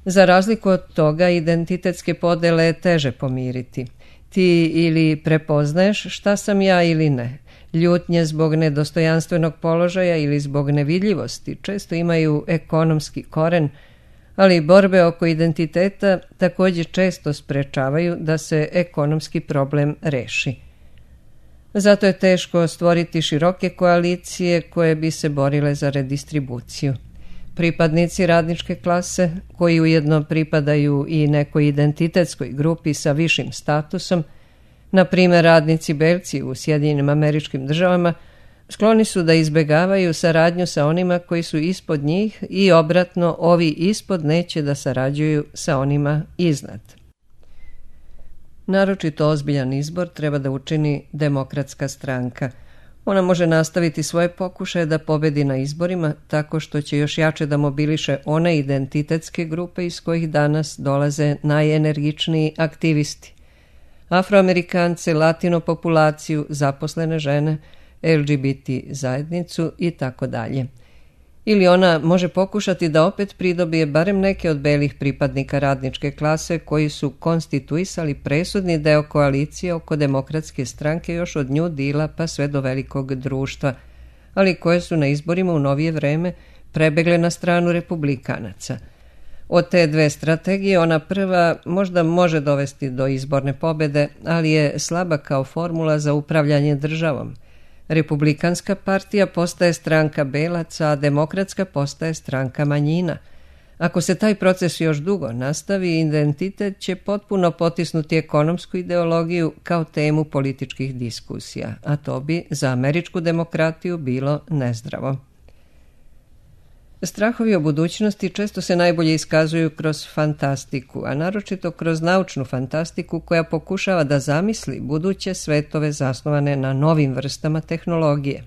Za razliku od toga, identitetske podele je teže pomiriti. Ti ili prepoznaješ šta sam ja ili ne. Ljutnje zbog nedostojanstvenog položaja ili zbog nevidljivosti često imaju ekonomski koren, ali borbe oko identiteta također često sprečavaju da se ekonomski problem reši. Zato je teško stvoriti široke koalicije koje bi se borile za redistribuciju. Pripadnici radničke klase, koji ujedno pripadaju i nekoj identitetskoj grupi sa višim statusom, na primjer radnici belci u Sjedinjenim Američkim Državama, skloni su da izbjegavaju saradnju sa onima koji su ispod njih i obratno ovi ispod neće da sarađuju sa onima iznad. Naročito ozbiljan izbor treba da učini Demokratska stranka. Ona može nastaviti svoje pokušaje da pobedi na izborima tako što će još jače da mobiliše one identitetske grupe iz kojih danas dolaze najenergičniji aktivisti. Afroamerikance, latino populaciju, zaposlene žene, LGBT zajednicu i tako dalje. Ili ona može pokušati da opet pridobije barem neke od belih pripadnika radničke klase koji su konstituisali presudni deo koalicije oko Demokratske stranke još od New Deala pa sve do velikog društva, ali koje su na izborima u novije vreme prebegle na stranu republikanaca. Od te dve strategije ona prva možda može dovesti do izborne pobede, ali je slaba kao formula za upravljanje državom. Republikanska partija postaje stranka belaca, a demokratska postaje stranka manjina. Ako se taj proces još dugo nastavi, identitet će potpuno potisnuti ekonomsku ideologiju kao temu političkih diskusija, a to bi za američku demokratiju bilo nezdravo. Strahovi o budućnosti često se najbolje iskazuju kroz fantastiku, a naročito kroz naučnu fantastiku koja pokušava da zamisli buduće svetove zasnovane na novim vrstama tehnologije.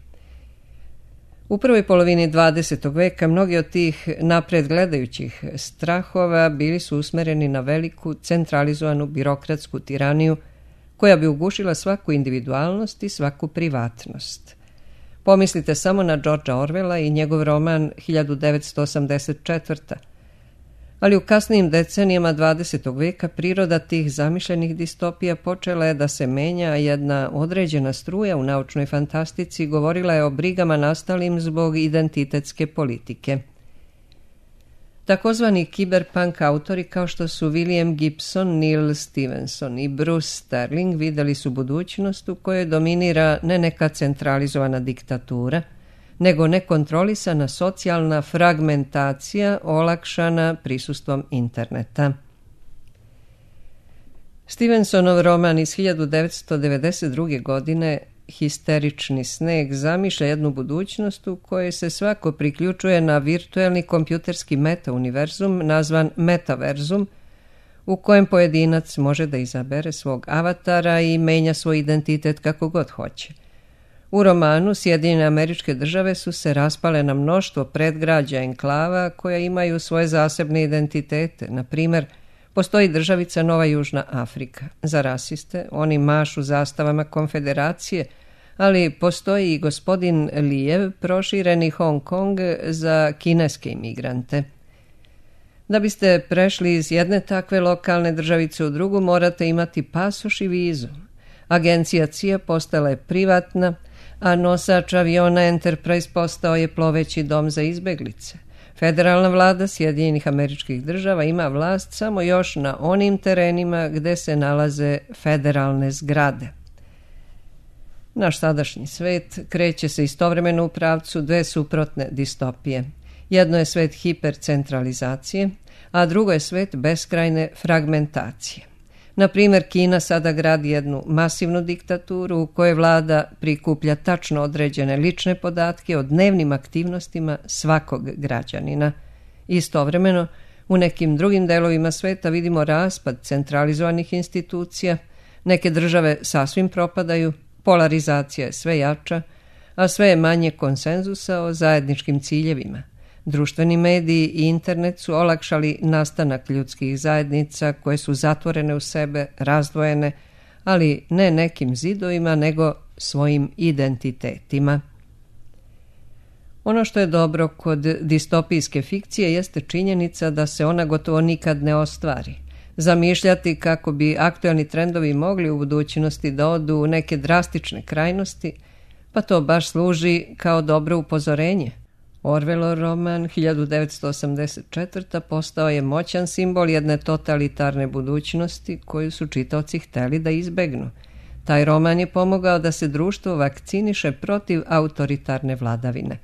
U prvoj polovini 20. veka mnogi od tih napred gledajućih strahova bili su usmereni na veliku, centralizovanu birokratsku tiraniju koja bi ugušila svaku individualnost i svaku privatnost. Pomislite samo na Georgea Orwella i njegov roman 1984. Ali u kasnijim decenijama 20. veka priroda tih zamišljenih distopija počela je da se menja, a jedna određena struja u naučnoj fantastici govorila je o brigama nastalim zbog identitetske politike. Takozvani kiberpunk autori kao što su William Gibson, Neil Stephenson i Bruce Sterling vidjeli su budućnost u kojoj dominira ne neka centralizovana diktatura, nego nekontrolisana socijalna fragmentacija olakšana prisustvom interneta. Stevensonov roman iz 1992. godine Histerični sneg zamišlja jednu budućnost u kojoj se svako priključuje na virtuelni kompjuterski meta-univerzum nazvan metaverzum, u kojem pojedinac može da izabere svog avatara i menja svoj identitet kako god hoće. U romanu Sjedinjene Američke Države su se raspale na mnoštvo predgrađa enklava koja imaju svoje zasebne identitete. Na primjer, postoji državica Nova Južna Afrika. Za rasiste oni mašu zastavama konfederacije, ali postoji i gospodin Lijev, prošireni Hong Kong za kineske imigrante. Da biste prešli iz jedne takve lokalne državice u drugu, morate imati pasoš i vizu. Agencija CIA postala je privatna, a nosač aviona Enterprise postao je ploveći dom za izbeglice. Federalna vlada Sjedinjenih Američkih Država ima vlast samo još na onim terenima gde se nalaze federalne zgrade. Naš sadašnji svet kreće se istovremeno u pravcu dve suprotne distopije. Jedno je svet hipercentralizacije, a drugo je svet beskrajne fragmentacije. Na primjer, Kina sada gradi jednu masivnu diktaturu u kojoj vlada prikuplja tačno određene lične podatke o dnevnim aktivnostima svakog građanina. Istovremeno, u nekim drugim delovima sveta vidimo raspad centralizovanih institucija, neke države sasvim propadaju, polarizacija je sve jača, a sve je manje konsenzusa o zajedničkim ciljevima. Društveni mediji i internet su olakšali nastanak ljudskih zajednica koje su zatvorene u sebe, razdvojene, ali ne nekim zidovima, nego svojim identitetima. Ono što je dobro kod distopijske fikcije jeste činjenica da se ona gotovo nikad ne ostvari. Zamišljati kako bi aktualni trendovi mogli u budućnosti da odu u neke drastične krajnosti, pa to baš služi kao dobro upozorenje. Orwellov roman 1984. postao je moćan simbol jedne totalitarne budućnosti koju su čitaoci hteli da izbegnu. Taj roman je pomogao da se društvo vakciniše protiv autoritarne vladavine.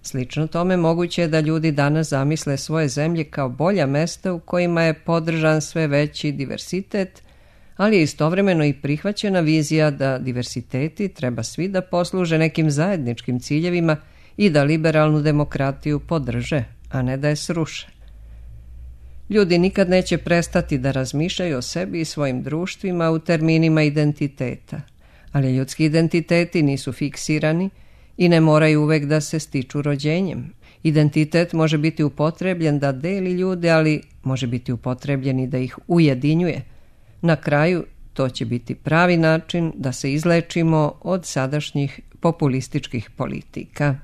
Slično tome moguće je da ljudi danas zamisle svoje zemlje kao bolja mesta u kojima je podržan sve veći diversitet, ali je istovremeno i prihvaćena vizija da diversiteti treba svi da posluže nekim zajedničkim ciljevima i da liberalnu demokratiju podrže, a ne da je sruše. Ljudi nikad neće prestati da razmišljaju o sebi i svojim društvima u terminima identiteta, ali ljudski identiteti nisu fiksirani i ne moraju uvek da se stiču rođenjem. Identitet može biti upotrebljen da deli ljude, ali može biti upotrebljen i da ih ujedinjuje. Na kraju, to će biti pravi način da se izlečimo od sadašnjih populističkih politika.